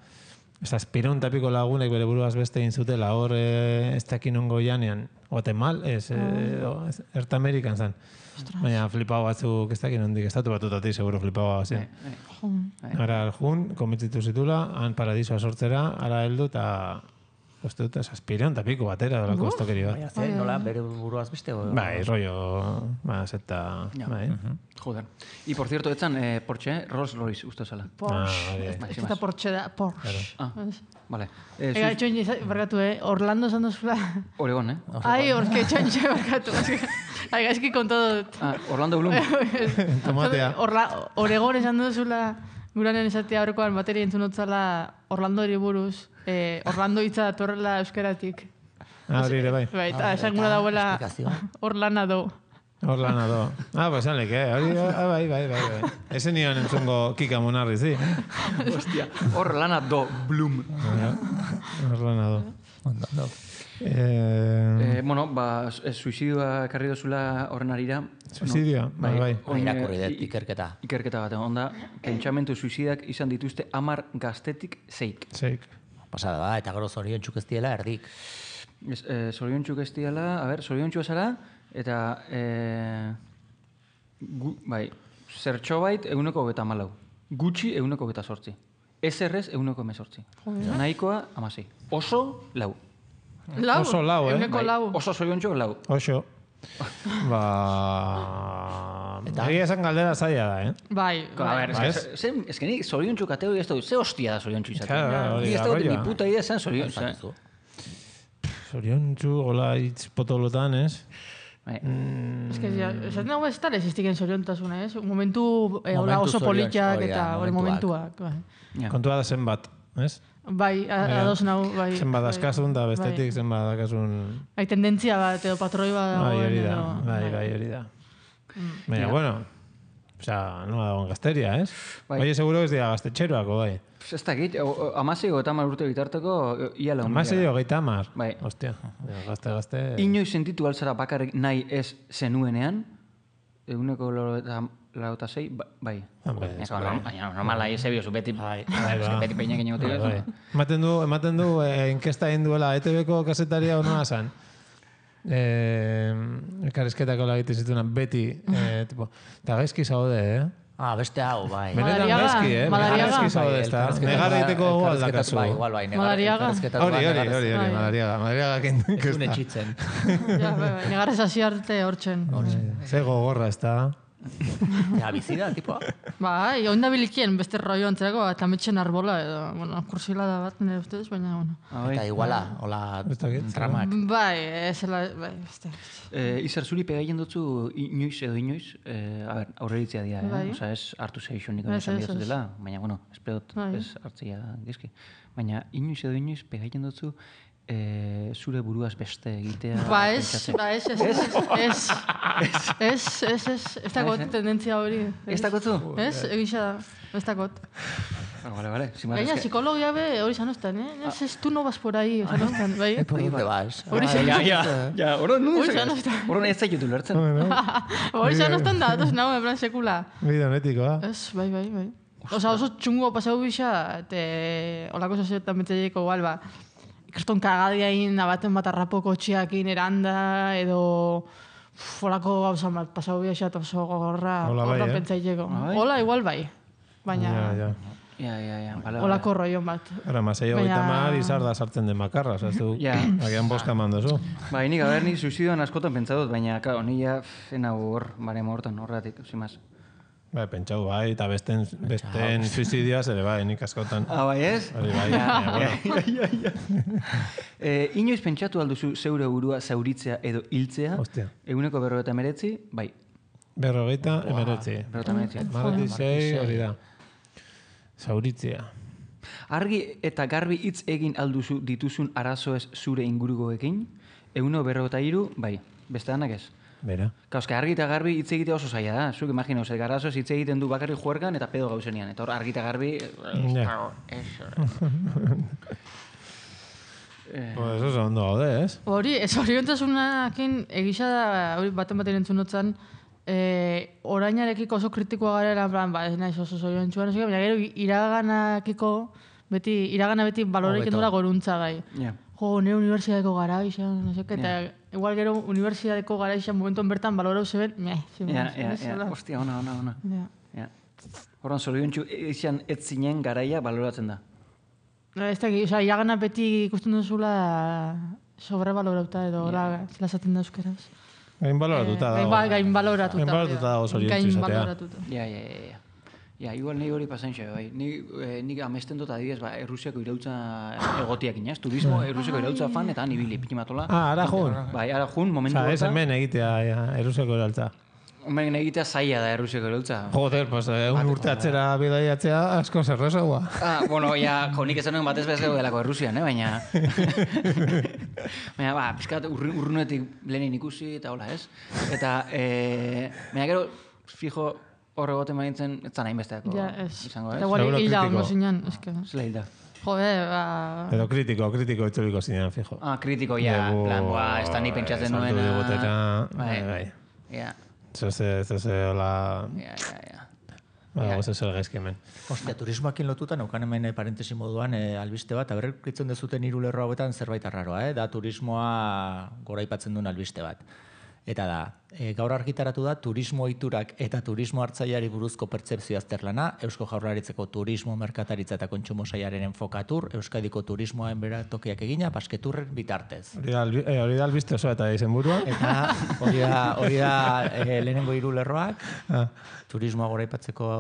ez aspiron tapiko lagunek bere buruaz beste egin zutela, hor eh, ez dakin ongo janean, Guatemal, ez, eh, o, ez Erta Amerikan zan. Baina flipau batzuk ez dakin ondik, estatu batutatik seguro flipau bazien. Bai. Ara jun, komitzitu zitula, han paradisoa sortzera, ara heldu eta uste dut, aspiron tapiko batera dolako estokeri bat. Baina, ze, nola, bere buruaz beste? o- Bai, rollo, ba, zeta, Ja. bai. Joder. Y por cierto, etzan, eh, Porsche, Rolls Royce, uste zela. Porsche. Ah, hori. Bai, Ez sin da más. Porsche da, Porsche. Ah, vale. Eh, Ega, zu- etxoin, iza- barkatu, eh? Orlando esan duzula. Oregon, eh? Ai, orke etxoin, barkatu. Ai, gaizki kontatu dut. Ah, Orlando Bloom. Tomatea. Orla, Oregon esan duzula, guranen esatea horrekoan bateria entzun dutzala Orlandori buruz. Eh, Orlando hitza datorrela euskeratik. Ah, hori ere bai. Bai, eta Ah, esan eta gura dauela esplikazioa. Orlana do. Hor lana do. Ah, pues sale, que hori, ah, bai, bai, bai, bai. Ese nion entzungo Kika Monarri, sí. Hostia. Orlando Bloom. Hor lana do. Ondo, ondo. Eh, Eh, bueno, ba, eh, suizidioa ekarri dozula horren arira. Suizidio, bai, bai. Ba, irakurri eh, dut i- ikerketa. Ikerketa bat, onda, pentsamentu suizidak izan dituzte amar gaztetik zeik. Zeik. Pasada da, eta gero zorion ez diela erdik. Ez, eh, zoriontxuk ez diala, a ber, zoriontxua zara, eta, eh, gu, bai, zertxo bait eguneko hogeta malau. Gutxi eguneko hogeta sortzi. Ezerrez eguneko emezortzi. Nahikoa amasei. Oso lau. Lau? Oso lau, eh? Euneko lau. Oso zoriontxo lau. Oso. Ba... Egia esan galdera zaila da, eh? Bai, A ver, bai. es que, ze, es que nik zoriontxo katego ez dut, ze hostia da zoriontxo izatea. Claro, hori Ni ez da, dut rolloa. ni puta idea esan zoriontxo. Zakizu. Zoriontzu, hola hitz potolotan, ez? Bai. Ez que, ja, esaten dago ez tal existiken zoriontasuna, ez? Un momentu, eh, hola Momentu oso zorion- politiak hori da, eta hori momentuak. momentuak. Bai, Ja. Kontua da zenbat, ez? bai a- Ja. ados nau, bai. Zenbat bai, askazun da bestetik, bai. zenbat dakasun... Bai, tendentzia bat, edo patroi bat Bai, dagoen, hori da, edo... bai, bai, hori da. Mm. Baina, bueno, osea, nola dagoen gazteria, ez? Bai. Oie, seguro ez dira gaztetxeroako, bai. Ez dakit, amasei o eta hamar urte bitarteko ia lau. Amasei hogeita hamar. Bai. Ostia, gazte, gazte... Inoiz sentitu altzara bakarrik nahi ez zenuenean, eguneko lauta zei, bai. Hombre, Ez, no, baina normala ez ebiozu, beti, bai, eske ba. beti peinak egin Bai, bai. gotik. Ematen du, ematen du eh, inkesta egin duela E T B-ko kasetaria honua zan. Eh, elkarrizketako egiten zituenan beti, eh, tipo, eta gaizki zaude, eh? Ah, beste hau, bai. Benetan Madariaga, gaizki, eh? Benetan Madariaga. gaizki zaude, ez da? Negar egiteko gogoa aldakazu. Bai, igual, bai. negar- Madariaga. elkarrizketatu Hori, bat hori, negarrez- hori, hori, Bai. Madariaga. Madariaga kendu Ez un inkesta. etxitzen. Ja, bai, bai. Negarrez hasi arte hortzen. Ze gogorra, ez da? Ja, bizida, tipoa. Bai, onda bilikien beste rollo antzerako, eta metxen arbola, edo, bueno, kursilada bat, nire ustez, baina, bueno. Eta iguala, hola, Ez dakit, tramak. Bai, ez zela, bai, beste. Eh, Izar, zuri pegaien dutzu inoiz edo inoiz, eh, a ber, aurreritzea dira, eh? Bai. Osa, ez hartu zeixunik Ez, esan ez, ez. dela, baina, bueno, espedot Bai. ez hartzia gizki. Baina, inoiz edo inoiz pegaien dutzu eh, zure buruaz beste egitea. Ba, ez, pentsatzen. ba, ez, ez, ez, ez, ez, ez, ez, ez dakot tendentzia hori. Ez dakotzu? Ez, egisa da, ez dakot. Ah, Vale, vale. Si más Gaina, es que... psikologia be hori zanostan, eh? Ez, ez, tu no vas por ahí, zanostan, bai? ¿Por dónde vas? Hori Ja, ja, ja, ja, oro nu Hori ez. zanostan. Oro ez zaitu lertzen. Hori zanostan da, atos nago, en plan sekula. Bide honetikoa. Ez, bai, bai, bai. Osa, oso txungo pasau bisa, eta olako soziatan betzaileko igual, ba, ikaston kagadiain, abaten bat arrapoko txiakin eranda, edo uf, olako gauza bat pasau bisa, eta oso gogorra, Hola bai, horra eh? pentsaileko. Bai. Hola, igual bai, baina Ja, ja. Ja, ja, ja. Vale, olako rollo bat. Ara, masei Baina- hogeita mar izar da sartzen den makarra, oza, ez du, Ja. agian boska mandozu. Bai, nik haber, nik suizidioan askotan pentsatut, baina, claro, ni ja ena hor, baremo hortan, horretik, sin más. Bai, pentsau, bai, eta besten, besten suizidioaz ere, bai, nik askotan. Ah, bai ez? Hori bai, baina, bueno. Eh, inoiz pentsatu alduzu zeure burua zauritzea edo hiltzea? Hostia. Eguneko berrogeita emeretzi, bai. Berrogeita, emeretzi. Berrogeita emeretzi. Marati sei, hori da. Zauritzea. Argi eta garbi hitz egin alduzu dituzun arazoez zure ingurukoekin? Eguno berrogeita hiru, bai. Beste danak ez? Bera. Kauzke, argi eta garbi hitz egitea oso zaila da. Zuk imagino, ze arazoez hitz egiten du bakarrik juergan eta pedo gauzenean. Eta hor argi eta garbi... Ja. Pues oso ondo gaude, ez? Hori, ez oriontasunakin egisa da, hori baten baten entzun notzan, eh, orainarekiko oso kritikoa gara, en plan, ba, ez naiz oso zoriontsuan, no sé qué, baina gero iraganakiko, beti, iragana beti baloreik Hobeto. endura goruntza gai. Ja. Jo, ne unibertsitateko gara izan, no sé qué, eta igual gero unibertsitateko gara izan momentuan bertan balorau zeben, meh, zin, Ja, ja, ja. hola. Ostia, ona, ona, ona. Ja. Ja. Horan, zoriontsu izan ez zinen garaia baloratzen da. No, ez da, oza, iragana beti ikusten duzula sobrebalorauta edo, hola, zela esaten da euskeraz. Gain baloratuta Eh, dago. gain- Gain baloratuta. Gain baloratuta dago zoriontsu Gain izatea. baloratuta. Ja, ja, ja, ja. Ja, igual nahi hori pasain xe, bai. Ni, eh, nik amesten dut adibidez, ba, Errusiako irautza egotiak inaz. Turismo, Errusiako irautza fan, eta han ibili, piti matola. Ah, ara jun. Bai, ara jun, momentu Osa, ez horta. hemen egitea, ja, eruseko eraltza. Hemen egitea zaila da Errusiako irautza. Joder, pues, eh, un urte atzera bidaiatzea asko zerrezagoa. Ah, bueno, ja, jo, nik esan nuen batez bez gero delako Errusian, eh, baina... baina, ba, pizkat urru- urrunetik lehenin ikusi, eta hola, ez? Eta, eh, baina gero, fijo, hor egoten banitzen, ez zan hainbesteako Ja, ez. izango, Eta ez? igual Seguro hilda kritiko. ondo zinan, eske. Zela hilda. Jode, ba... Edo kritiko, kritiko itzuliko zinean, fijo. Ah, kritiko, ja, Dugu, plan, boa, ez da ni pentsatzen sartu nuena... digutera, bai, bai. Ja, Zose, zose, hola... ja, ja, ja. Ba, goze zer gaizki hemen. Ostia, turismoakin lotuta, neukan hemen eh, parentesi moduan eh, albiste bat, aberritzen dezuten hiru lerro hauetan zerbait arraroa, eh? Da turismoa goraipatzen duen albiste bat. Eta da, e, gaur argitaratu da turismo ohiturak eta turismo hartzaileari buruzko pertzepzio azterlana, Eusko Jaurlaritzako turismo merkataritza eta kontsumo sailaren enfokatur, Euskadiko turismoaren beratokiak egina, basketurren bitartez. Hori da, albi- eh, hori da albiste osoa eta izenburua. Eta hori da, hori da e, lehenengo hiru lerroak, Ah, turismoa goraipatzeko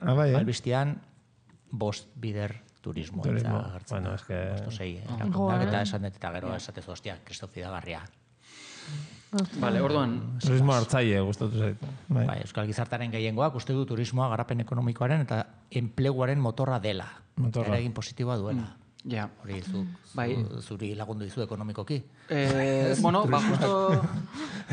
Ah, bai, eh? albistean, bost bider turismo. Turismo. Eta hartzen Bueno, da. es que- Bost o sei, eh, Jo, erakundeak, eh? eta esan dut, eta gero esatez, ostia, kristofidagarria. Vale, orduan, Turismo hartzaile gustatu zait. Bai. Bai, Euskal Gizartaren gehiengoak uste du turismoa garapen ekonomikoaren eta enpleguaren motorra dela. Motorra. Eragin positiboa duela. ja. Hori zu, Bai. zu, zuri lagundu dizu ekonomikoki. Eh, bueno, ba, justo,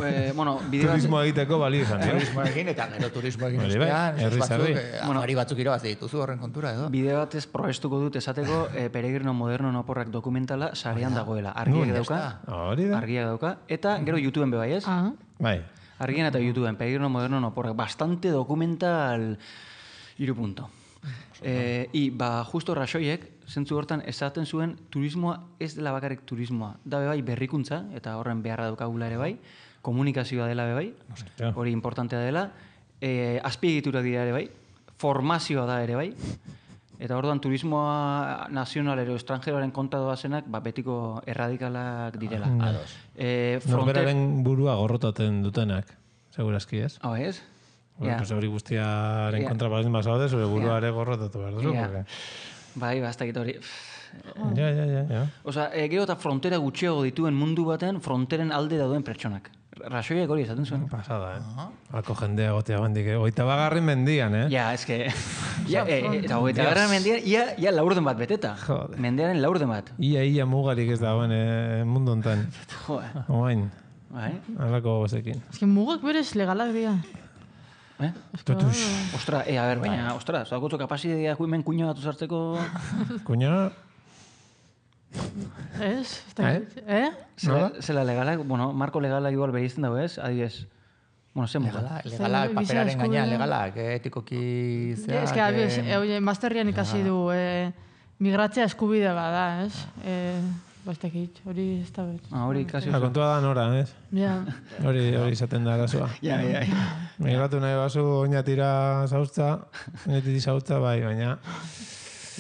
eh, bueno, bide bat- Turismo egiteko bali izan, eh? Turismoekin eta gero turismoekin Hori bai, ostean, ez herriz batzuk, herri. eh, afari batzuk irabazi dituzu horren kontura edo. bide batez probestuko dut esateko eh, Peregrino Moderno Oporrak dokumentala sarean dagoela. Argiak Nun, dauka, Hori da. argiak dauka, eta gero YouTubeen be bai, ez? Ah, Bai. Argian eta YouTubeen, Peregrino Moderno Oporrak, bastante dokumental iru punto. Eh, I, ba, justo rasoiek, zentzu hortan, esaten zuen turismoa ez dela bakarrik turismoa. Da be bai berrikuntza, eta horren beharra daukagula ere bai, komunikazioa dela be bai, Hostia. hori importantea dela, eh, azpiegitura dira ere bai, formazioa da ere bai, eta orduan turismoa nazional ero estrangeroaren kontra doazenak, ba, betiko erradikalak direla. Ados. Eh, fronte... Norberaren burua gorrotaten dutenak, segurazki ez? Hau ez? Bueno, Ja. pues hori guztiaren Ja. kontra baldin bazaude, zure burua ere gorrotatu behar duzu. Ja. porque- Bai, ba, ez dakit hori. Ja, ja, ja, ja. Osa, e, gero eta frontera gutxiago dituen mundu baten fronteren alde dauden pertsonak. Rasoiak hori esaten zuen. Pasada, eh? Alko jendea gotea bandik, eh? Oita bagarrin mendian, eh? Ja, eske... ja, e, eta hogeita garran mendian, ia, ia laurden bat beteta. Jode. Mendearen laurden bat. Ia, ia mugarik ez dagoen eh, mundu hontan. Jo, Oain, bai. alako gozekin. ez que mugak berez legalak dira. Eh? Tutux. Ostra, e, a ber, baina, ostra, zaukotzo kapazidea hemen kuño bat uzartzeko... Kuña, Ez? Ez dakit. Eh? Zela, zela legalak, bueno, marko legalak igual berizten dago ez, adibidez. Bueno, ze muga. Legala, legalak, Giza paperaren eskubidea. gainean legalak, eh, etikoki zeak. Ez que, abez, eh, e, oie, masterrian ikasi du, e, migratzea eskubide bada, ez? E, Bastakit, hori ez da bet. Ah, hori kasi la oso. kontua da nora, ez? Ja. Hori, hori izaten da arazoa. Ja, ja, ja. Migratu nahi bazu oinatira zautza, oinatiti zautza, bai, baina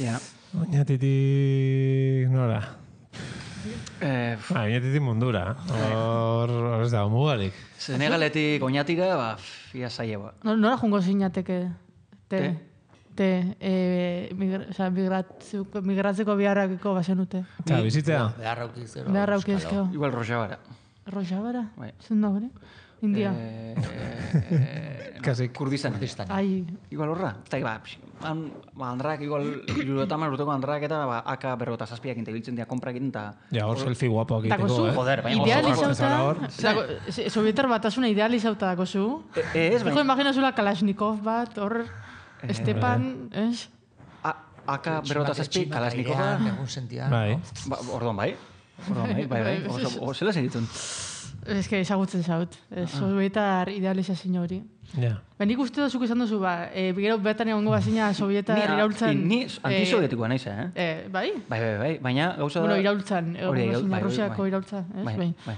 Ja. oinatitik nora. Eh, Ba, oinatitik mundura. Hor, hor ez dago mugarik. Senegaletik oñatira, ba, pff, ia zaila ba. No, nora jungo zinateke? Te. Te? Te. E, migra, o sea, migratzeko, migratzeko biharrakiko bazenute. Eta, bizitzea? Beharra uki zero. Beharra euskalo. ukizkeo. Igual Rojavara. Rojabara? Bai. Zun da hori? India. Eh, eh, no, Kasik. Kurdistan. Kurdistan. Ai. Igual horra. Eta ba, px, han, ba, andrak, igual, iruretaman urteko andrak eta ba, aka berrota zazpiak intebiltzen dira komprak egiten, eta Ja, hor selfie guapoak Dako egiteko, zu, eh? Joder, bai, oso idealizauta, zara hor. dako, se- Sovietar batasuna idealizauta dako zu. E, e, ez, Ego baina, imaginazula Kalashnikov bat, hor, Estepan, ez? a, aka berrota zazpi, Tximak Kalashnikova, airean, egun sentian. Bai. ba, orduan bai. Orduan bai, bai, bai. Oso, o, zela segitun. Ez que ezagutzen zaut, ez, Sovietar idealizazio hori. Ja. Ba, nik uste duzuk izan duzu, ba, e, gero betan egongo bazina Sovietar Ni, a- iraultzan... ni eh, antisovietikoa naiz, eh? eh, bai? Bai, bai, bai, baina gauza da... Bueno, iraultzan, Hori, egongo iraul- bazina bai, bai, Rusiako bai. iraultza, ez? Bai, Bai. bai.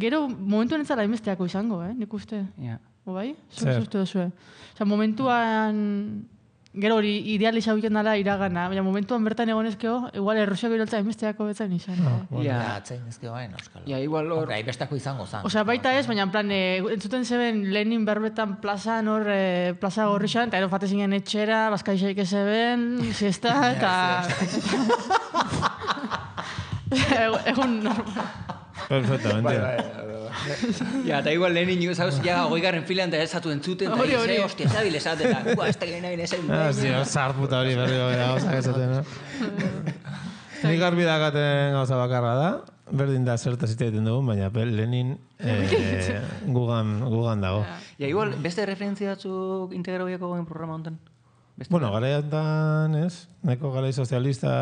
Gero, momentu honetzara hainbesteako izango, eh, nik uste. Ja. O bai? Zer? Zer uste duzue? Osea, momentuan... Gero hori idealiza egiten dela iragana, baina momentuan bertan egonezkeo, igual Errusiako iraultza hainbesteako betzen izan. eh? Ja. Ja, atzen ezke bain, euskalo. Ja, igual hor... Hombre, hainbestako izango zan. Osea, baita ez, baina en plan, e, entzuten zeben Lenin berbetan plazan hor, e, plaza gorrixan, eta ero fate zinen etxera, bazkaixaik ez zeben, siesta, eta... Egun normal. Perfectamente. Ja, eta igual lehenin jo, zauz, ja, hogeigarren filan da esatu entzuten, eta Hori, hori. dize, hostia, zabil esate, eta, ua, ez da gena gena esan. Ah, sí, zart puta hori berri gara gauzak esaten, no? Nik garbi dakaten gauza bakarra da, berdin da zertaz hitz egiten dugun, baina pe- Lenin eh, gugan, gugan dago. Ja, igual, beste referentzia batzuk integrabiako gogen programa honetan? Beste Bueno, garaiatan, ez? Neko garai sozialista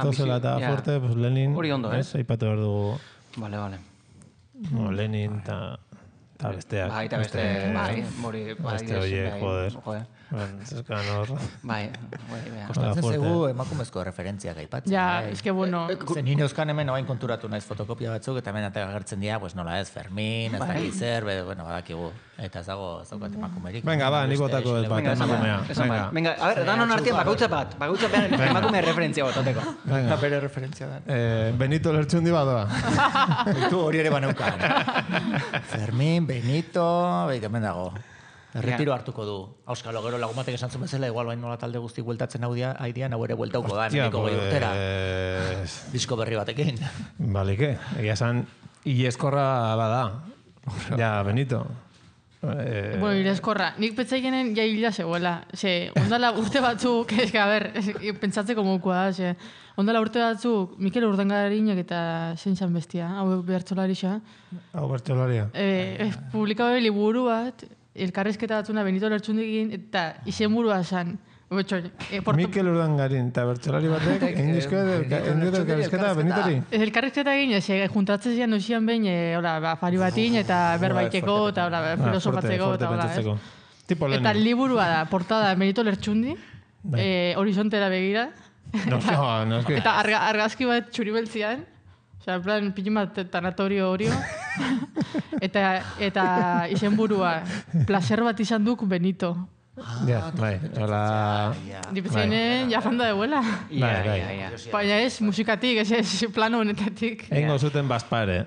getozela eta bizi- ja. fuerte, pues Lenin, Hori ondo, eh? ez? Aipatu behar dugu, Vale, vale. no, Lenin eta Eta besteak. Bai, eta beste, bai, mori, bai, Beste horiek, joder. joder. Zeskan hor. Bai, bai, bai. Kostatzen fuerte. zaigu emakumezko referentziak aipatzen. Ja, bai. eske bueno, Zen nire euskan hemen oain konturatu naiz fotokopia batzuk, eta hemen atea agertzen dira, pues nola ez, Fermin, ez dakit zer, be, bueno, badakigu. Eta ez dago, ez daukat emakumerik. Venga, ba, nik botako dut bat, Venga, esan emakumea. bat, esan bat. Venga. Venga, a ver, danon artean bakautza bat, bakautza bat emakume referentzia bat, oteko. Eta bere referentzia da. Eh, Benito Lertxundi badoa. Beitu hori ere baneukan. Fermin, Benito, beik hemen dago. Erretiro hartuko du. Auskalo, gero lagumatek esan zuen bezala, igual bain nola talde guzti bueltatzen hau dia, haidian, hau ere bueltauko da, hemeniko gehi urtera. pues... Disko berri batekin. Balike, egia esan, ileskorra bada. Ja, Benito. Eh, bueno, irezkorra. Nik petzaikenen ja hila zegoela. Ze, ondala urte batzuk, eske, a ber, es- pentsatzeko mokoa da, ze, ondala urte batzuk, Mikel Urdangarinak eta zein zan bestia, hau bertsolarixa, Hau bertxolaria. e, e, publikabe liburu bat, elkarrezketa batzuna Benito Lertxundikin, eta izenburua zan. Betxo, e, porto, Mikel Urdangarin, eta bertxolari batek, egin dizko elkarrizketa Benitori. elkarrezketa egin, ez, e, juntatzen zian noizian behin, e, hola, ba, afari batin, eta berbaiteko, eta hola, ba, filosofatzeko, eta hola, ez. Tipo Eta Lenin. liburua da, portada Benito Lertxundi, eh, horizontera begira, No, no, no, es que... eta arga, argazki bat txuribeltzian, osea, en plan, pijin bat tanatorio horio, eta, eta izenburua, placer bat izan duk Benito. Ja, bai, hola... Dipetzeinen, ja fanda deuela. Ia, Bai, bai. ia, ia. Baina ez, musikatik, ez ez, plano honetatik. Eingo zuten bazpare.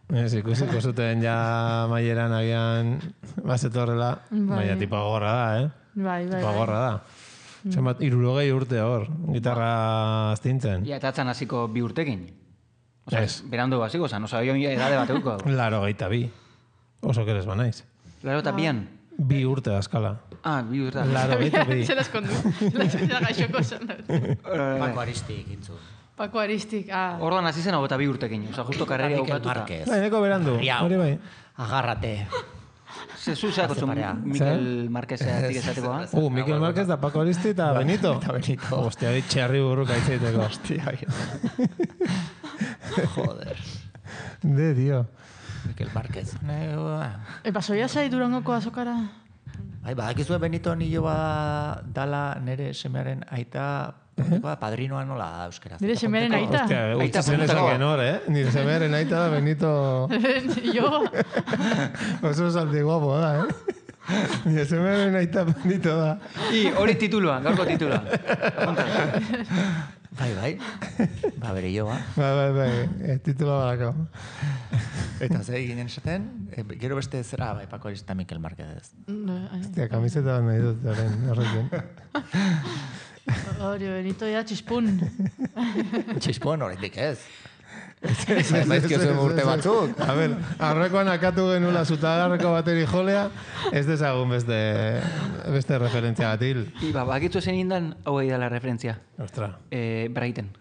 Ez, ikusiko zuten ja maieran agian bazetorrela. Bai. Baina tipo gorra da, eh? Bai, bai, Tipo bai. gorra da. Zenbat, irurogei urte hor, gitarra astintzen. Ia, eta atzan hasiko bi urtekin. Osa, Ez. berandu hasiko zan, osa, joan edade bat euko. Laro geita bi. Oso keres banaiz. Laro eta bian. Bi urte askala. Ah, bi urte. Laro geita bi. Se las kondu. La gaixoko esan dut. Paco Aristik, intzu. Paco Aristik, ah. Orduan hasi zen hau eta bi urtekin. Osa, justo karreria Mikel bukatuta. Márquez. Bai, neko berandu, Riau. hori bai. Agarrate. Zezu zeako zuen parea. Mikel Marquezeatik esatekoa. Uh, Mikel Márquez da Paco Aristi eta Benito. Eta Benito. Hostia, hori txerri burruka itzaiteko. Hostia, joder. De, tío. Mikel Márquez. Ne, ba. E, pasoia zai Durangoko azokara? Bai, badakizue Benito nilo ba dala nere semearen aita, pontekoa, padrinoa nola da euskeraz. Nire semearen aita? Hostia, Aita utzi zen puntako. esaken hor, eh? Nire semearen aita da Benito... Jo, Oso salti guapo da, eh? Nire semearen aita Benito da. I, hori titulua, gaurko titulua. Bai, bai. Ba, bere joa. Bai, bai, bai, eh, titula badako. Eta ze ginen esaten, e, gero beste zera, bai, Paco Aristik eta Mikel Márquez ez. Hostia, kamiseta bat nahi dut, horren, horrekin. hori Benito ja txispun. Txispon horretik ez. Maizkio zuen urte batzuk. A ber, aurrekoan akatu genula zutagarreko bateri jolea, ez dezagun beste, beste referentzia bat hil. I, ba, bakitzu zen indan, hau da la referentzia. Ostra. Eh, Brighten.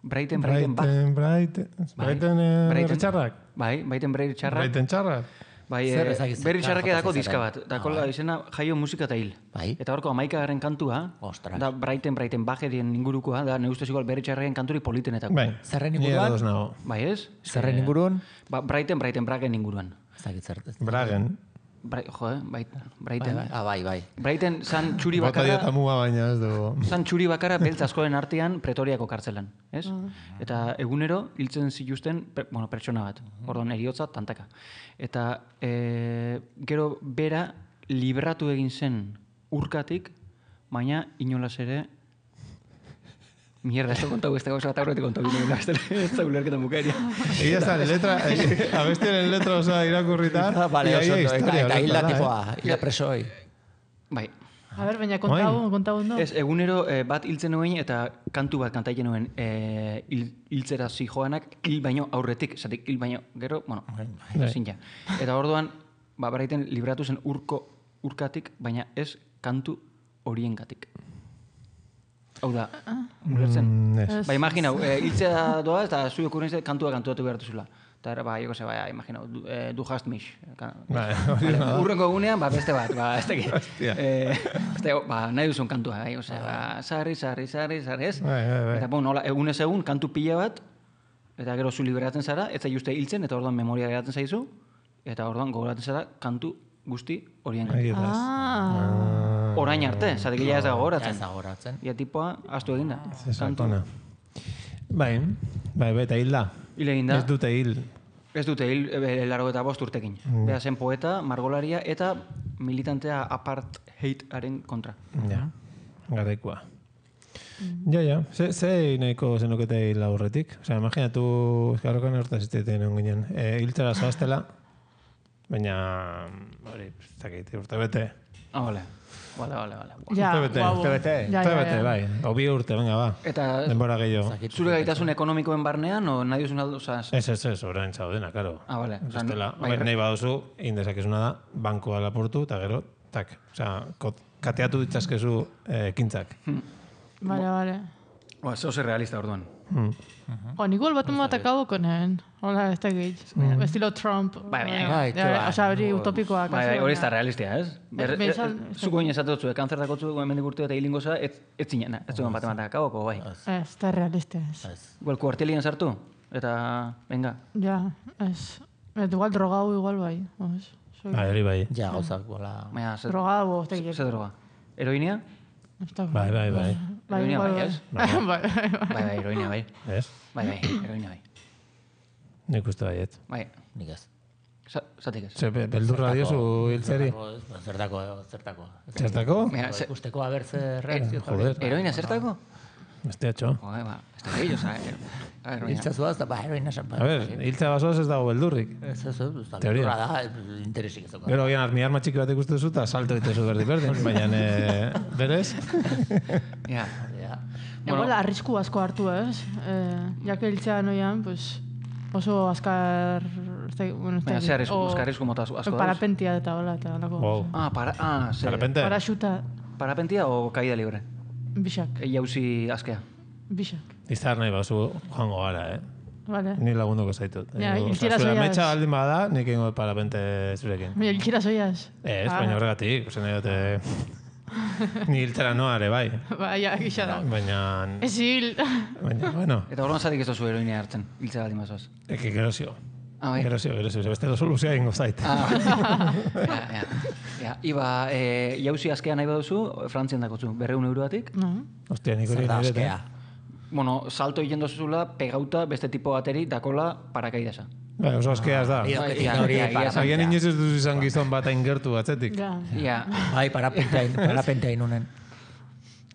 Brighten, Brighten, ba. Brighten, Brighten, Brighten, eh, Brighten. txarrak? Bai, Brighten berri txarrak. Brighten txarrak? Bai, Zer eh, ezagitzen, berri zer txarrak jota edako zezaren. diska bat. Dako Ah, bai. izena jaio musika eta hil. Bai. Eta horko amaikagaren kantua, Ostras. da Brighten, Brighten Bagerien ingurukoa, da ne ustez igual berri txarraken kanturi politenetako. Bai. Zerren Ni inguruan? ados nago. Bai ez? Zerren inguruan? Ba, Brighten, Brighten Bragen inguruan. Ez dakit zer. Bragen. Bra, jo, eh? Bai, Bai, Brighten. bai. Ah, bai, bai. Brighten zan txuri Bota bakarra, diota muga baina ez dugu. zan txuri bakarra beltz askoren artean Pretoriako kartzelan, ez? Eta egunero hiltzen zituzten, per, bueno, pertsona bat, orduan eriotza tantaka. Eta e, gero bera libratu egin zen urkatik, baina inolaz ere mierda, ez da kontau, ez da gauza bat aurretik kontau bine, ez da ulerketan bukaeria. Egia está, letra, eh, abestiaren letra osoa irakurrita. Ah, vale, y ahí oso, hay ondo. Eta, historia eta hilda horretara, eh? tipoa, hilda presoi. Bai, A ber, baina kontau, kontau ondo. ez, egunero eh, bat hiltzen nuen eta kantu bat kantaiten nuen eh, hil, hiltzera zijoanak hil baino aurretik, zatik hil baino, gero, bueno, ezin ja. Eta orduan, ba, beraiten libratu zen urko urkatik, baina ez kantu horiengatik. Hau da, ulertzen? Mm, ez. Ba, imaginau, e, hiltzea doa eta zui okurrentzia kantua kantuatu behartu zula. Eta era, ba, joko ze, ba, imaginau, du, eh, du hast mich. Ka- Bai, hori Vale, da. urrengo egunean, ba, beste bat, ba, ez teki. Hostia. Eh, beste, ba, nahi duzun kantua, bai, osea, ba, sarri, sarri, sarri, sarri, ez? Bai, bai, bai. Eta, bon, nola, egunez egun, kantu pila bat, eta gero zu liberatzen zara, ez zai uste hiltzen, eta orduan memoria geratzen zaizu, Eta orduan gogoratzen zara kantu guzti horien Bai, kantu. Ah. Orain arte, zatek ja ez da gogoratzen. Ez da gogoratzen. Ia tipoa, astu eginda. Zesakona. Bai, bai, bai, eta hil da. Hil eginda. Ez dute hil. Ez dute hil e, laro eta bost urtekin. Mm. Bea zen poeta, margolaria eta militantea apartheidaren kontra. Ja, garaikoa. Ja, ja, ze, ze nahiko zenukete hil aurretik? Osea, imaginatu, eskarrokan hortaz izteiten egon ginen. E, hiltzara zoaztela, baina, hori, ez dakit, urte bete. Ah, bale. Bale, bale, bale. Ja, Urte bete, guau. urte bete. Ja, Urte ja, bete, ja. bai. O bi urte, venga, ba. Eta Denbora gehiago. zure gaitasun ekonomikoen barnean, o nahi duzun aldo, oza... Ez, ez, ez, orain zaudena, karo. Ah, bale. Oza, Bestela, bai, nahi baduzu, indezakezuna da, bankoa lapurtu, eta gero, tak. Osea, kot- kateatu ditzazkezu eh, ekintzak. Vale, vale. Ba, zeo zer realista orduan. Hmm. O, igual bat bat acabo con él. Hola, ez dakit. Estilo Trump. Bai, bai, bai, Ja, bai. Osea, hori utopikoa. Bai, bai, hori ez da realistia, ez? Ber, Be- e, bezal- e, zuko egin esatotzu, e, kanzer dakotzu, hemendik urte eta hilingo za, ez, ez zinen, ez zuen bat ematak akaboko, bai. Ez, da realista ez. Ez. Igual kuartelien sartu, eta, venga. Ja, ez. Et igual drogau igual bai. Ez. Soy Bai, hori bai. Ja, gauzak, bola... Baina, ze, drogau, ez dakit. ze droga? Heroinia? Ez da- Bai, bai, bai. Bai, Heroinia igual bai, bai. ez? Bai, bai, bai. Bai, bai, heroinia bai. Ez? Bai, bai, heroinia bai. Nik uste baiet. Bai, Nik ez. Za- zatik ez. Ze, be- beldurra diozu hiltzeri? Zertako, ez, ba, Zertako, zertako. Zertako? Mira, Ba, ze, Ikusteko haber zer reakzio. Joder. heroina zertako? Beste atxo. Joder, ba, ez da gehiago, oza, heroina. Hiltzazuaz, da, ba, heroina esan. A ber, hiltza basoaz ez dago beldurrik. Ez, ez, ez, da, Teoria. beldurra da, interesik ez dauka. Gero gian armi arma txiki bat ikustu duzu eta salto ditezu berdin berdin. Baina, e, berez? Ja, Ja. Igual arrisku asko hartu ez. Eh, jake hiltzea noian, pues, oso azkar... ez dakit, bueno, ez baina dakit, ze arrisku, o- eske arrisku mota asko dauz? Parapentia eta hola, eta holako. Wow. Ah, para, ah, ze, Parapente? Paraxuta, parapentia o caída libre? bixak, E, jauzi askea. bixak. Izar nahi bazu joango gara, eh? Vale. Ni lagunduko zaitut. Ja, Edo, hiltzera osea, zure zoiaz. ametsa baldin bada, nik ingo parapente zurekin. Mira, hiltzera zoiaz. Ez, Ah. baina horregatik, usen nahi dute... Ni hiltzera noa ere, bai. Ba, ja, gisa da. Baina... Ez hil. Baina, bueno, Eta orduan zatik ez dozu heroinia hartzen, hiltza baldin bazoaz. eki gerozio. Ah, bai. Gerozio, gerozio. Beste soluzioa ingo zait. Ah, ja, ja. Ja, iba, e, jauzi askea nahi baduzu, Frantzian dakotzu, berreun euroatik. No. Ostia, nik hori Zer da nire. askea. Bueno, salto egiten dozuzula, pegauta beste tipo bateri, dakola parakaidasa. Bai, oso askea ez da. Bai, Bai, Etik ja, hori ja, para- ja, Agian inoiz ez duzu izan gizon bat hain gertu atzetik. Ja. Ja, Bai, parapenteain, parapenteain unen.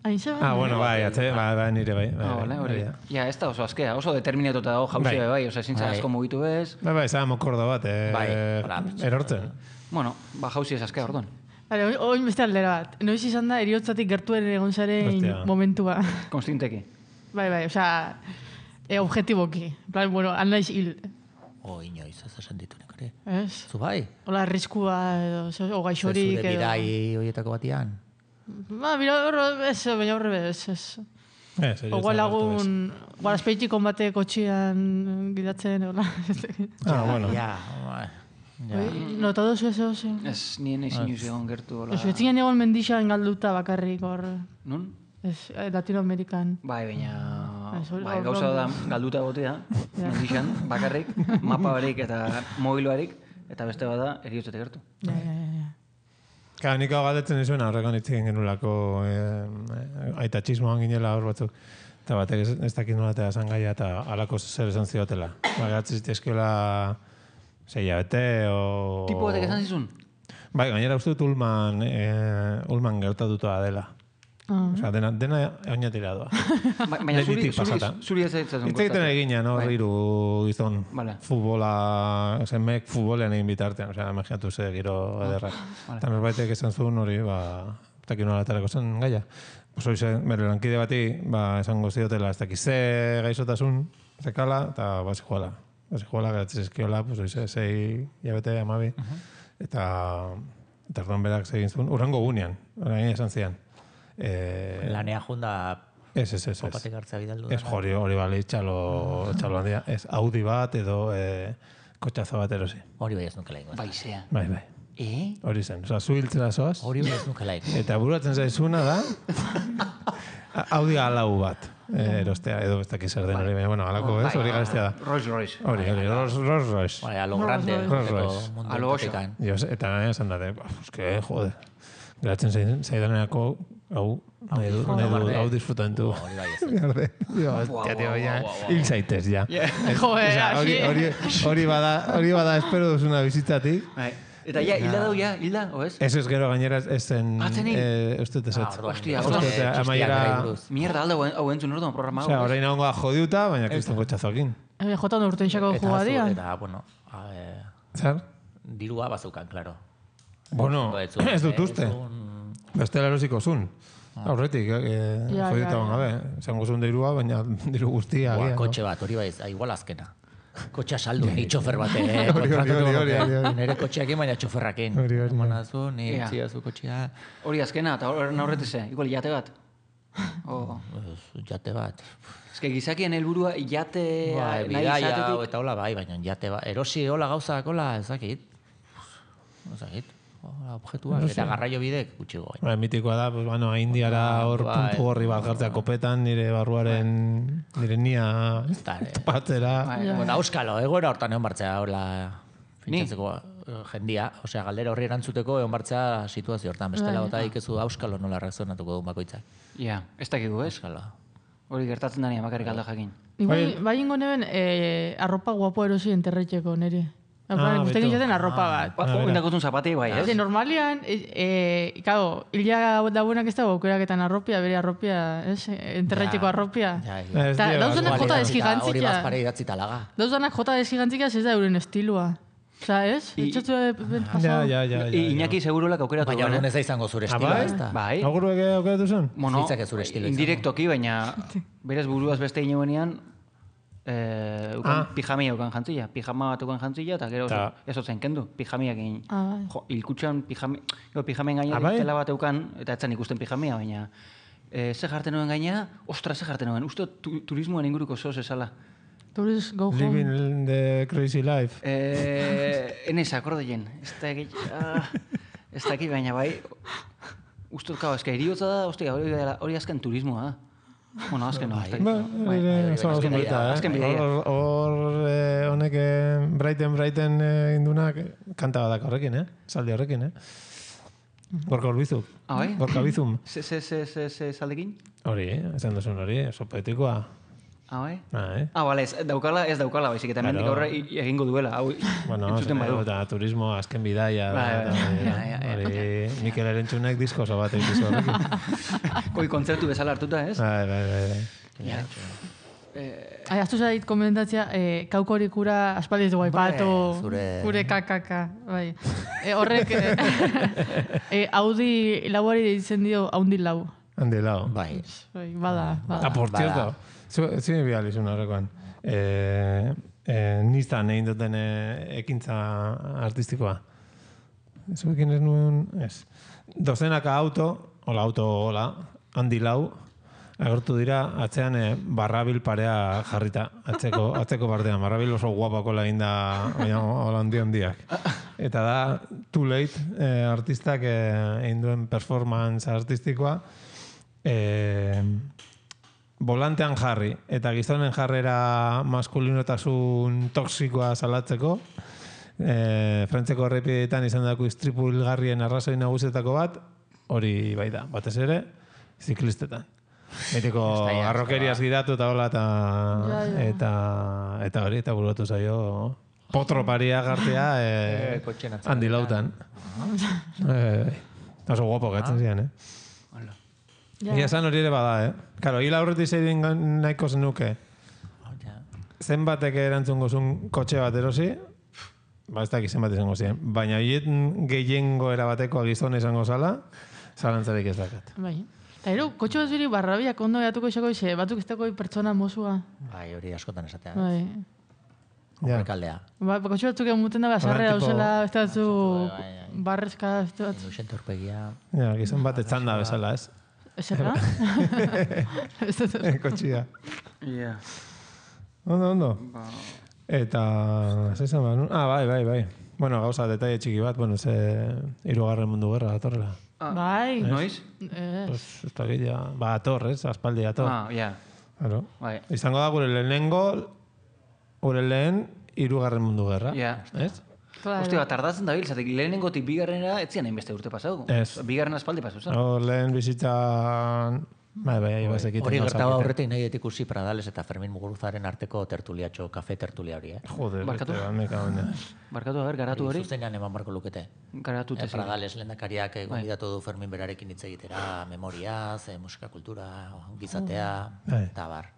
Hain ze Ah, bueno, bai, atze, bai, bai, nire bai. bai, ah, bai, vale, hori. bai, Ja, ez da oso askea, oso determinatuta dago jauzia Bai. bai, oza, zintza Bai. asko mugitu bez. Bai, bai, zara mokorda bat, eh, Bai, hola, erortzen. Bueno, ba jauzi ez askea orduan. Vale, oin- oin beste aldera bat. Noiz izan da eriotzatik gertuen egon zaren Hostia. momentua. Konstinteki. Bai, bai, osea, e, objetiboki. En plan, bueno, anaiz hil. O, inoiz, ez esan ditu nik hori. Ez? Zu bai? Hola, arriskua edo, ze- o Ze gaixorik zure edo. bidai horietako batian? Ba, bira, horro, ez, baina horre bez, ez. Ez, ez, Ogual ez, lagun, guara espeitik konbate kotxian gidatzen, hola. Ah, bueno. Ja, bai. Ja. Notado zu ez oso. Ez, nien ezin inoiz egon gertu, hola. Ez, betzinen egon mendixan galduta bakarrik hor. Nun? Ez, eh, Latinoamerikan. Bai, baina... Ez, hori- Bai, hor- gauza da hor- galduta gotea, Ja. mendixan, bakarrik, mapa barik eta mobiloarik, eta beste bada eriotzetek gertu. Ja, ja, ja, ja. Ka, nik hau galdetzen izuen horrekan hitz egin genulako eh, aitatxismoan ginela hor batzuk. Eta batek ez, ez dakit nola eta esan gaia eta alako zer esan ziotela. Ba, gatzen zitezkiola zei bete o... Tipo batek esan zizun? Bai, gainera uste dut Ulman, eh, Ulman gertatuta dela. Ah. Osea, dena, dena oinatira doa. Ba- Baina zuri, Lehenetik zuri, pasata. zuri ez zaitzen Hitz egiten egina, no? Bai. Hiru gizon. Vale. Futbola, zenmek futbolean egin bitartean. Osea, imaginatu ze giro ederrak. vale. Eta norbaitek esan zuen hori, ba, ez dakit nola aterako zen gaia. Pues hori zen, bere lankide bati, ba, esango ziotela, ez dakit ze gaixotasun, zekala, eta ba, zijoala. Ba, zijoala, geratzen zizkiola, pues hori ze, zei, jabete, amabi. Eta, eta orduan berak zegin zuen, urrengo gunean, orain esan zian. Eh, Lanea junda Ez, ez, ez, ez. opatek hartzea bidaldu. Ez hori, hori bali, txalo, txalo handia. Ez Audi bat edo eh, kotxazo bat erosi. Hori bai ez nukela ingo. Baizea. Bai, bai. Eh? Hori zen. Osa, zu hiltzera zoaz. Hori bai ez nukela ingo. Eta bururatzen zaizuna da Audi alau bat. eh, erostea, edo ez dakiz zer den hori, baina, bueno, alako, ez, hori garestea da. Rolls Royce. Hori, hori, Rolls Rolls Royce. Bai, a lo grande. Rolls egoteko Royce. mundu A lo oso. entetekan. Jo, eta gaina esan dute, eske, jode, geratzen zaid- zaidanerako, hau, nahi du, nahi du, hau disfrutantu. Hori bai ez. Garde, jo, hostia, tio, ja, hil zaitez, ja. Joder, Osea, hori, hasi. hori, hori bada, hori bada espero duzuna bizitatik. Bai. Eta ja, hilda dau, ja, hilda, o ez? Ez ez gero gainera ez zen, Atzen hil? eh, ez dut Ah, ezetz. orduan, Hostia, beste hostia, txistiak amaiera- berari buruz. Mierda, alda hau entzun orduan programa. Osea, hau, ez? orain egongo da jodiuta, baina kriston kotxazokin. Eh, Jotan urtein xako Eta jugadia. zu- Eta, bueno, a, eh, Zer? dirua bazeukan, klaro. Bueno, Ez zuen, ez dut eh, uste. ez zuen- Bestela erosiko zun. Aurretik, eh, Ja, jodiuta ja, ban ja. gabe. Zango zun dirua, baina diru guztia. Buah, agian, no? kotxe bat, hori bai, ez, igual azkena. Kotxea saldu, ni txofer bate, eh, Hori, hori, kontratatu hori, hori, nuke. hori, hori. Nire kotxeakin, baina txoferrakin. Hori, hori, hori. Manazu, ni Ea. utziazu kotxea, Hori azkena, eta horren aurretik ze, igual jate bat. Oh. ez, jate bat. Ez que gizakien helburua jate Bai, nahi bidaia, izatetik. eta hola bai, baina jate bat. Erosi hola gauzak, hola, ez dakit. Ez dakit. Hola, objektuak, eta garraio bidek, gutxigo gain. Ba, mitikoa da, pues, bueno, indiara hor Bai. puntu gorri bat jartzea kopetan, nire barruaren, nire nia Eta, eh, tapatzera. Bai. bueno, auskalo, egoera hortan egon bartzea, hola, fintzatzeko eh, jendia, osea, galdera horri erantzuteko egon bartzea situazio hortan, bestela Bai. bota ikezu auskalo nola reakzionatuko duen bakoitzak. Ja, ez dakigu, ez? Auskalo. Hori gertatzen dani bakarrik alda jakin. Bai, bai ingo neben, eh, arropa guapo erosi enterretxeko niri. Ah, Gusten beto. gizaten arropa bat. Ba, oh, indakotun zapati bai, ez? Ze normalian, eh, eh, claro, hila da buenak ez dago aukeraketan arropia, bere arropia, ez? Enterretxeko Ja. arropia. Ja, Ez Eta dira, dauzenak igual, jota igual. desgigantzika. Hori bazpare idatzita laga. Dauzenak jota desgigantzika ez da euren estilua. Osa, ez? I- Etxatu Ja, pasau. ja, ja, ja. I- Iñaki segurolak aukeratu Baina duen, orduan eh? ez da izango zure Ah, estiloa, bai? ez da. Bai. Auguruek aukeratu zen? Bueno, Zitzak ez zure estilo izango. indirektoki, baina berez buruaz beste ineuenean eh, ukan Ah. pijamia ukan jantzila. Pijama bat ukan jantzila, eta gero Ta- ez otzen kendu. Pijamiak egin. Ah, bai. Jo, hilkutxan pijami, jo, pijamen gaina Ah, bai? tela bat eukan, eta etzan ikusten pijamia, baina eh, ze jarten nuen gaina, ostra, ze jarten nuen. Uste dut tu, turismoan inguruko zoz esala. Tourist go home. Living the crazy life. Eh, enez, akordeien. Ez da egit, ah, ez da egit, baina bai, uste dut, ez que eriotza da, ostia, hori, hori azken turismoa da. Bueno, azken no, ez da Ba, egit. hori ere, bai, oso azken polita, bidaia, eh? azken bidaia. Hor, hor, eh, honek eh, Brighten Brighten eh, indunak kanta badak horrekin, eh? Saldi horrekin, eh? Gorka Urbizuk. Ah, bai? Gorka Bizum. Ze, ze, ze, ze, ze saldekin? Hori, eh? Esan duzun hori, oso poetikoa. Ah, bai? Ah, eh? Ah, bale, ez daukala, ez daukala, baizik, eta hemendik Claro. aurre i- egingo duela, hau Bueno, entzuten badu. eta turismo azken bidaia. Bai, da, bai, eta bai, bai, hori, hori, Mikel Erentxunek disko oso bat egizu horrekin. Koi kontzertu bezala hartuta, ez? Bai, bai, bai, bai. Ja. Ai, aztu zait komentatzea, eh, kaukorik ura aspaldi ez dugu aipatu, Bai, zure- gure kakaka, bai. Eh, horrek, eh, eh, Audi lauari deitzen dio, haundi lau. Handi lau. Bai. Bai, bada, Ah, bada. por Bada. cierto, zu- zine bihalizun horrekoan. Eh, eh, Nistan egin duten eh, ekintza artistikoa. Zuekin ez nuen, ez. Dozenaka auto, hola auto, hola, handi lau, agertu dira, atzean eh, barrabil parea jarrita, atzeko, atzeko partean. Barrabil oso guapako egin da, baina hola handi handiak. Eta da, Too Late eh, artistak eh, egin duen performance artistikoa, eh, volantean jarri, eta gizonen jarrera maskulinotasun toksikoa salatzeko, eh, Frantzeko errepideetan izan dako istripu hilgarrien arrazoi nagusietako bat, hori bai da, batez ere, ziklistetan. Betiko arrokeriaz gidatu eta hola, eta, Ja, ja. eta, eta hori, eta burutu zaio, potro paria gartea, eh, Eh, kotxen atzean. handi lautan. Eh, oso guapo gatzen zian, eh? Ja. Ia esan hori ere bada, eh? Karo, hila aurretik zeirin nahiko zenuke. Ja. Zenbatek erantzungo zuen kotxe bat erosi, ba ez dakit zenbat izango ziren. Baina hiet gehiengo erabateko gizon izango zala, zalantzarik ez dakat. Bai. Eta ero, kotxe bat zuri barrabiak ondo gatuko izako ize, batzuk ez dago pertsona mozua. Bai, hori askotan esatea. Bai. Ja. Kaldea. Ba, kotxe batzuk emuten da, basarre Hola, tipo- dauzela, ez batzu Bai, bai. barrezka, ez batzu. Induxente horpegia. Ja, gizon bat etzanda bezala, ez? Ezerra? Ez dut. Kotxia. Ja. Ondo, ondo. Ba, Eta, ze izan behar nuen? Ah, bai, bai, bai. Bueno, gauza, detaile txiki bat, bueno, ze hirugarren mundu gerra datorrela. ah, Bai. noiz? Ez. Pues, ez da gila, ba, ator, ez? Aspaldi ator. Ah, ja. Claro. Bai. Izango da gure lehenengo, gure lehen hirugarren mundu gerra. Ja. Ez? Claro. Ostia, tardatzen da bil, zatek lehenengotik bigarrenera etzian hainbeste urte pasau. Ez. Bigarren aspaldi pasau zen. No, lehen bizitzan... Bai, bai, bazekiten. Hori gertaba horretik nahi ikusi Pradales eta Fermin Muguruzaren arteko tertuliatxo, kafe tertulia hori, eh? Joder, Barkatu? beste, me cago en Dios. Barkatu, a ber, garatu hori. Zuzenean eman barko lukete. Garatu Eh, tezi. Pradales lehendakariak eh, gonbidatu du Fermin berarekin hitz egitera, memoriaz, eh, musika kultura, gizatea, Bai. eta bar.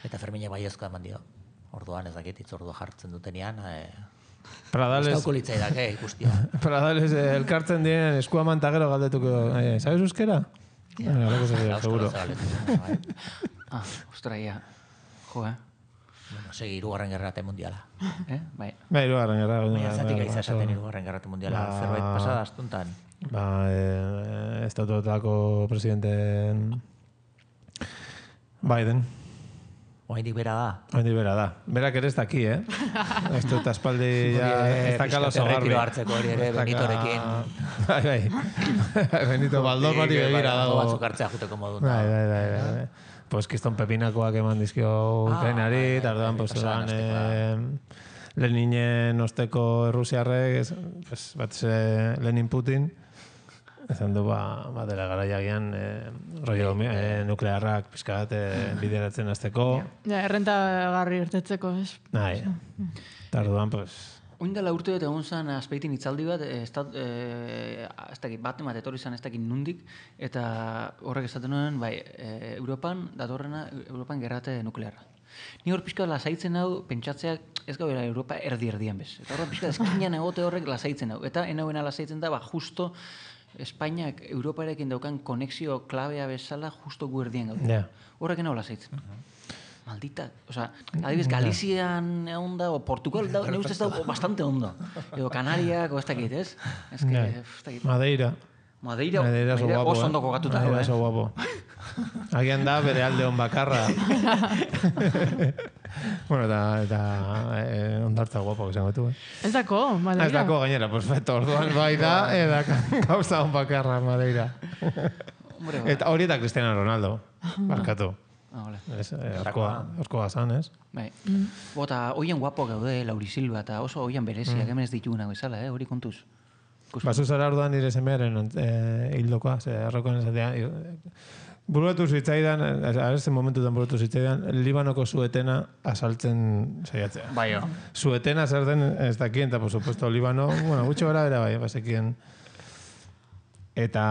Eta Ferminek baiezkoa eman dio. Orduan ez dakit hitzordua jartzen dutenean, eh, Pradales, Estauko litzaidak, eh, ikustia. Pradales eh, elkartzen diren eskua mantagero galdetuko. Eh, ¿sabes euskera? Ja. Alako zegoen, seguro. Bai. Ah, ostra, ia. Jo, eh? Bueno, segi, irugarren gerrate mundiala. Eh? Bai. Bai, irugarren gerra. Baina zatik bai, aiza oso- esaten irugarren gerrate mundiala, Ba- zerbait pasada astuntan. Ba, eh, estatuetako presidente Biden. Oaindik bera da. Hori bera da. Berak ere ez daki, eh? Ez dut aspaldi ja, ez dakala oso garbi. Retiro hartzeko hori ere, Ez daka- Benitorekin. Bai, bai. Benito Baldor hori begira Dago dago. batzuk hartzea juteko modun. Bai, bai, bai, bai, bai. Pues kiston pepinakoak eman dizkio Ukrainari, bai, eta bai, orduan, bai, pues, pasadan oran, astekoa. eh, Leninen osteko Errusiarrek, ez, pues, bat ze Lenin Putin, ezan du, ba, ba dela garaiagian, eh, rollo eh, nuklearrak pizkat eh, bideratzen azteko. Ja, errentagarri irtetzeko, ez? Nahi, eta orduan, pues, Oin dela urte bat egon zen azpeitin hitzaldi bat, eh, estat, eh, ez dakit, bat emat etorri zen ez dakit nundik, eta horrek esaten nuen, bai, eh, Europan, datorrena, Europan gerrate nuklearra. Ni hor pixka lasaitzen hau, pentsatzeak ez gaudela Europa erdi-erdian bez. Eta horren pixka eskinan egote horrek lasaitzen hau. Eta enauena lasaitzen da, ba, justo Espainiak Europarekin daukan konexio klabea bezala justo gu erdien gaude. ja. Horrek enau lasaitzen. Maldita. Osa, adibidez, Galizian egon da, o Portugal da, ne ustez da bastante ondo. Edo Kanariak, o ez dakit, ez? Ez que, Ja. ez dakit. Madeira. Madeira, Madeira oso Madeira guapo, oso eh? ondo kokatutako, Madeira eh? oso guapo. Agian da bere alde on bakarra. Bueno, eta, eta eh, ondartza guapo izango du, eh? Ez dako, Madeira. Ez dako gainera, perfecto. Orduan bai da, eta gauza on bakarra Madeira. Hombre, ba. Eta hori eta Cristiano Ronaldo, barkatu. Ah, vale. Ez, eh, orkoa, orkoa zan, ez? Bai. Bota, hoian guapo gaude, Lauri Silva, eta oso hoian bereziak, hemen ez dituguna bezala, eh? Hori kontuz. Ikus- Basu zara orduan nire semearen eh, hildokoa, ze arrokoan esatea. Buruatu zitzaidan, arrezen momentutan buruatu zitzaidan, Libanoko suetena asaltzen saiatzea. Bai, jo. Suetena zer den ez dakien, eta por supuesto Libano, bueno, gutxo gara bera bai, bazekien. Eta,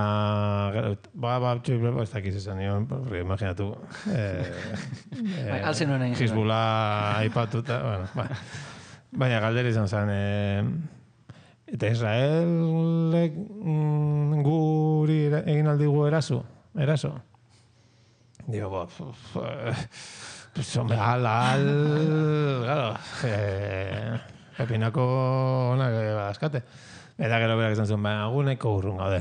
gero, ba, ba, txoi, ez dakiz esan nion, porque imaginatu. Eh, Bai, altzen nuen egin. Hizbula aipatuta, bueno, ba. Baina galdera izan zen, eh, eta Israelek mm, guri era- egin aldigu eraso, eraso. Digo, ba, pf, eh, pues, hombre, al, al, claro, eh, pepinako onak eh, badazkate. Eta gero berak izan zuen, baina guneko urrun gaude.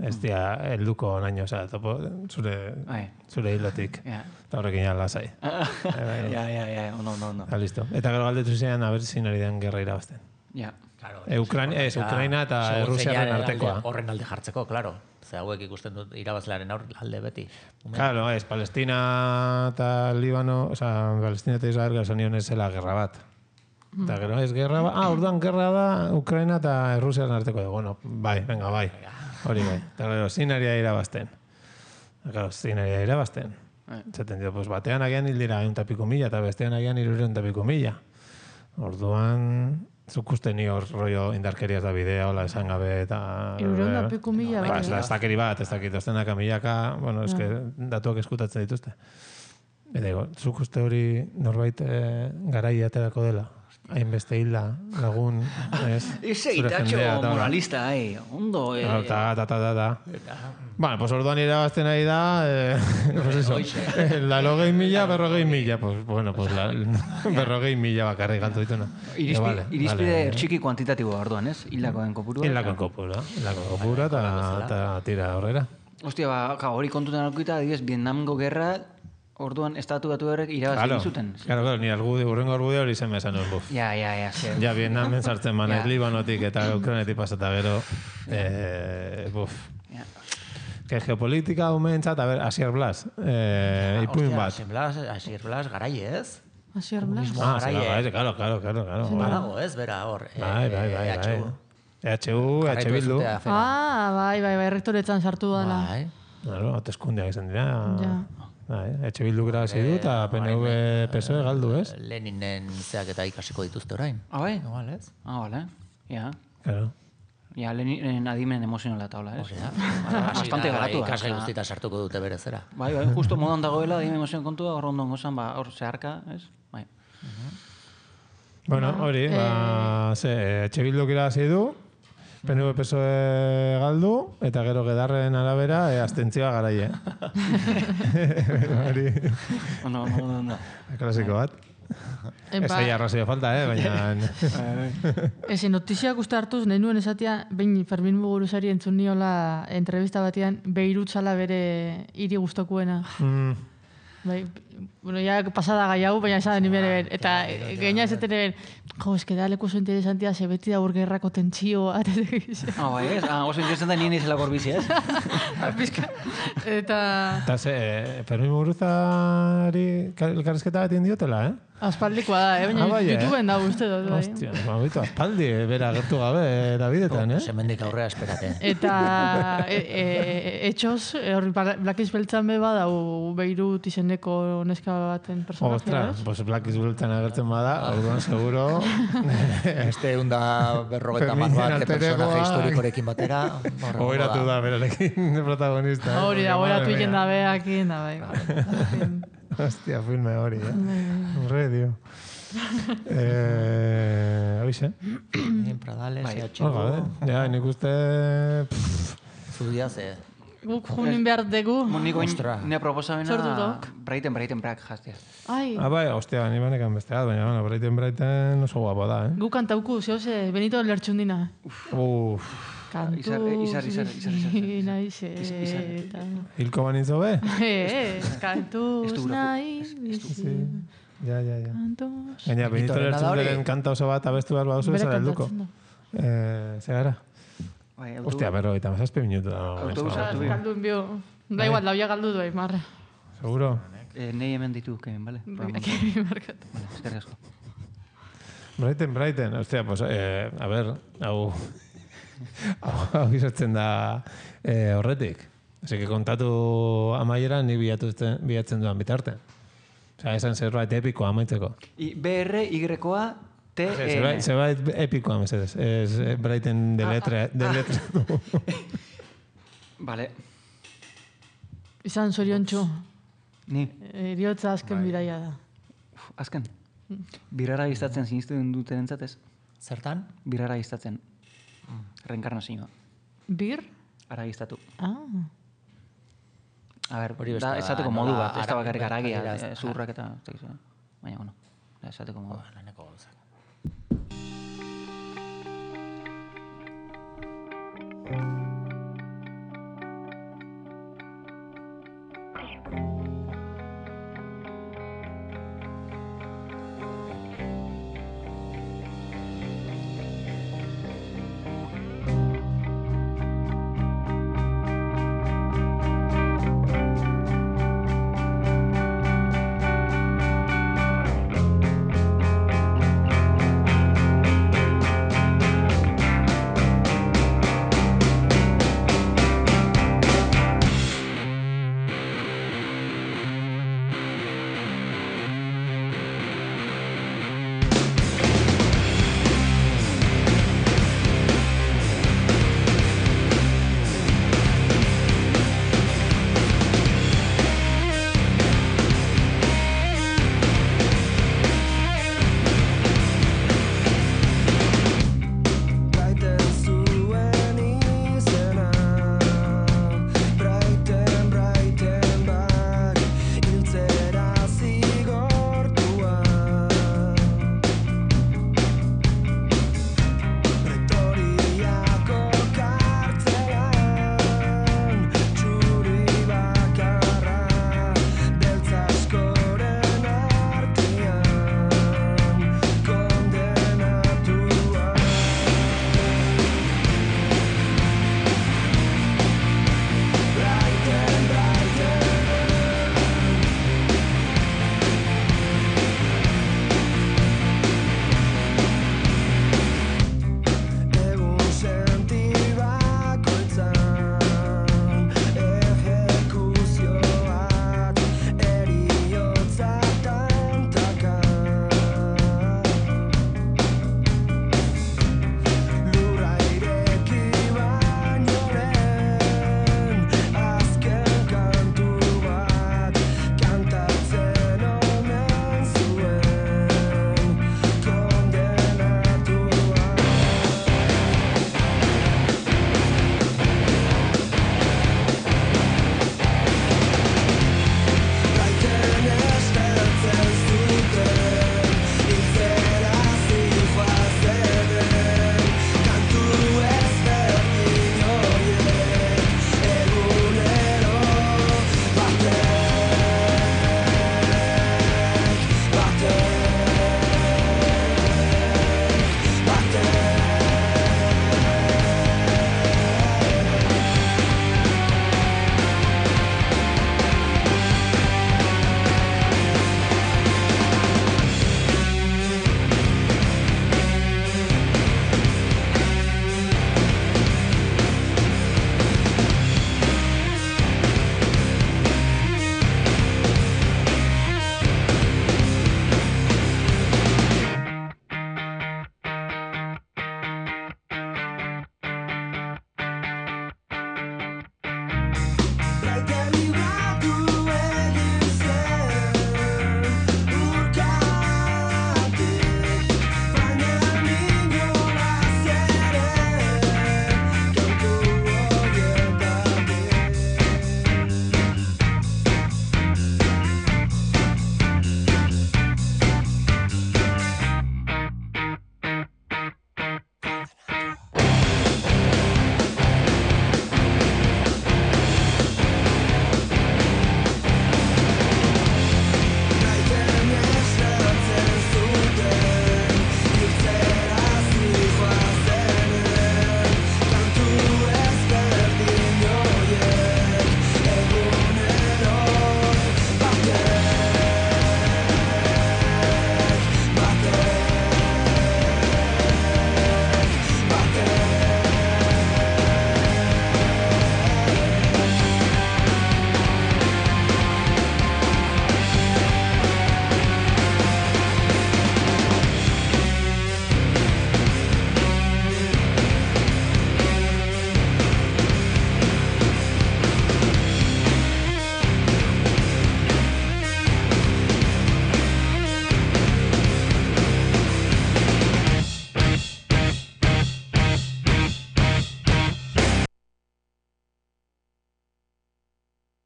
Ez dia, helduko naino, oza, topo, zure, Bai. zure hilotik. Ja. Eta horrekin ja lasai. Ja, ja, ja, ondo, ondo, ondo. Eta listo. Eta gero galdetu ziren, aber zin ari den gerra irabazten. Ja. Claro, E, Ukraina, ez, Ukraina eta segun Errusiaren zeinan artekoa. alde- Horren alde jartzeko, claro. Ze hauek ikusten dut irabazlearen aur alde beti. Claro, ez, Palestina eta Libano, oza, Palestina eta Israel gero zenion ez zela gerra bat. Eta gero ez gerra bat, ah, orduan gerra da Ukraina eta Errusiaren arteko. Bueno, bai, venga, bai. Hori bai. Eta gero, zinaria irabazten. Gero, zinaria irabazten. Zaten dio, pues batean agian hil dira egun tapiko mila, eta bestean agian irureun tapiko mila. Orduan, zuk uste ni hor rollo indarkeriaz da bidea, hola esan gabe, eta... Hirurehun eta piku mila, Ba, bai. ez da, ez dakeri bat, ez dakit, ostenaka milaka, bueno, eske datuak eskutatzen dituzte. Eta digo, zuk uste hori norbait eh, garai aterako dela? Hainbeste hilda, lagun, ez? Ese zure itatxo jendea, eta hola. moralista, eh. Ondo, eh. Claro, ta, ta, ta, ta, ta. Bueno, pues orduan irabazten ari da, eh, pues eso, la logei mila, berrogei mila, pues bueno, pues la, berrogei mila bakarrik galtu dituna. Irizpi, Vale, irizpide vale. txiki kuantitatiboa orduan, ez? Hildakoen kopurua. Hilako kopura, hilako kopura, eta tira horrera. Ostia, ba, ka, hori kontutan alkuita, adibidez, Vietnamgo gerra, orduan estatu batu horrek irabazi Claro, egin zuten. claro, claro, ni argudi, urrengo argudi hori zen bezan hor buf. Ja, ja, ja, zer. Ja, Vietnamen sartzen manaiz Ja. Libanotik eta Ukrainetik pasata gero, eh, buf. Ja. que geopolitika umentzat, a ver, Asier Blas, eh, ipuin bat. Asier Blas, Asier Blas, garai ez? Asier Blas. Ah, garai, sí, claro, claro, claro, claro. Badago ez, bera hor. Bai, bai, bai, bai. E H U, E H Bildu. Ah, bai, bai, bai, rektoretzan sartu dela. Bai. Claro, hauteskundeak izan dira. Ja. Bai, E H Bildu grazi du eta P N V P S O E galdu, ez? Leninen zeak eta ikasiko dituzte orain. Ah, bai? Igual, ez? Ah, vale. Ja. Claro. Ja, lehen adimen emozionala taula, ez? Osea, Bastante garatu. Ikasgai guztita sartuko dute berezera. Bai, bai, justo modan dagoela adimen emozioan kontua, hor ondo gozan, ba, hor zeharka, ez? Bai. Bueno, hori, ba, ze, etxe bilduk irabazi du, P N V P S O E galdu, eta gero gedarren arabera, e, abstentzioa garaie. Hori, Ondo, ondo, ondo. klasiko bat. Ez Epa, aia arrazio falta, eh, baina... ezi notiziak uste hartuz, nahi nuen esatia, behin Fermin Muguruzari entzun niola entrevista batean, Beirut zala bere hiri gustokuena. Mm, Bai, bueno, ya pasada gai hau, baina esan nire ben. Eta gaina esaten ben, jo, eske da leku oso interesantia, ze beti da burgerrako tentsioa. Ah, bai, ez? Ah, oso interesantan nien izela gorbizi, ez? Pizka. Eta... eta ze, eh, Fermin Muguruzari elkarrizketa bat indiotela, eh? Aspaldikoa da, eh? Baina Ah, bai, eh? YouTubeen da uste dut. Bai. Hostia, ba, bitu, aspaldi, bera gertu gabe, erabidetan, eh? Semendik aurrera esperate. Eta e, e, etxoz, e, hori Blakiz Beltzan beba dau Beirut izeneko neska baten personajea, Ostra, ez? pues Blackies Beltzan agertzen bada, orduan seguro... Este eunda berrogeta mar Ferminen bat alter personaje egoa. historikorekin batera. Oberatu da berarekin protagonista. eh? Hori da, Porque, hori madre atuiken mía. da beakin, da bai. bai. Hostia, filme hori, eh? Horre, dio. Eh, Hoize. Bien, Pradales, Bai. E H Hor gabe. Ja, nik uste... pff, Zudia ze. Guk junin behar dugu. Niko Ostra. nire proposamena... Sortu dok. Braiten, braiten, brak jaztia. Ai, Ah, bai, ostia, ni banekan beste bat, baina, bueno, Brighten Brighten oso guapo da, eh? guk kantauku, zehoze, Benito Lertxundina. Uf, Kantu... Izar- izar- izar- izar- izar- izar. Naizeta. hilko banintzo be? Eh, kantuz Ez du gura- naiz. Sí. Ja, ja, ja. Kantuz... Gaina, Benito Benitoren da hori? Lertzunderen kanta oso bat abestu behar baduzu, Bere zara helduko. kantatzen da. Eh, ze gara? Bai, auto- Ostia, berro, eta mazazpe minutu da. Autobusa eso, hartu bi. Galdu enbio. Da igual, lauia galdu duai, marra. Seguro? Eh, nei hemen ditu, Kevin, bale? Aquí markat. Vale, eskerrik asko. Brighten, Brighten, ostia, pues, eh, a ver, hau... hau hau izatzen da eh, horretik. Ose, que kontatu amaiera ni bilatzen, bilatzen duan bitarte. Osea, esan zerbait epikoa amaitzeko. I, B R, Y-koa, T, E, Zerbait, N. zerbait epikoa, mesedez. Ez eh, Brighten de letra, de letra. Vale. Izan zoriontxu. Ni, Eriotza azken bidaia da. uf, azken. Birara iztatzen sinisten duten entzatez. Zertan? Birara iztatzen. Reenkarnazioa. Bir? Ara iztatu. Ah. A ber, Hori beste da, da, esateko modu nola bat, ez da ara- bakarrik aragia, ara- eh, zurrak eta... ez dakit zer. Baina, bueno, da, esateko modu. Laneko gauzak.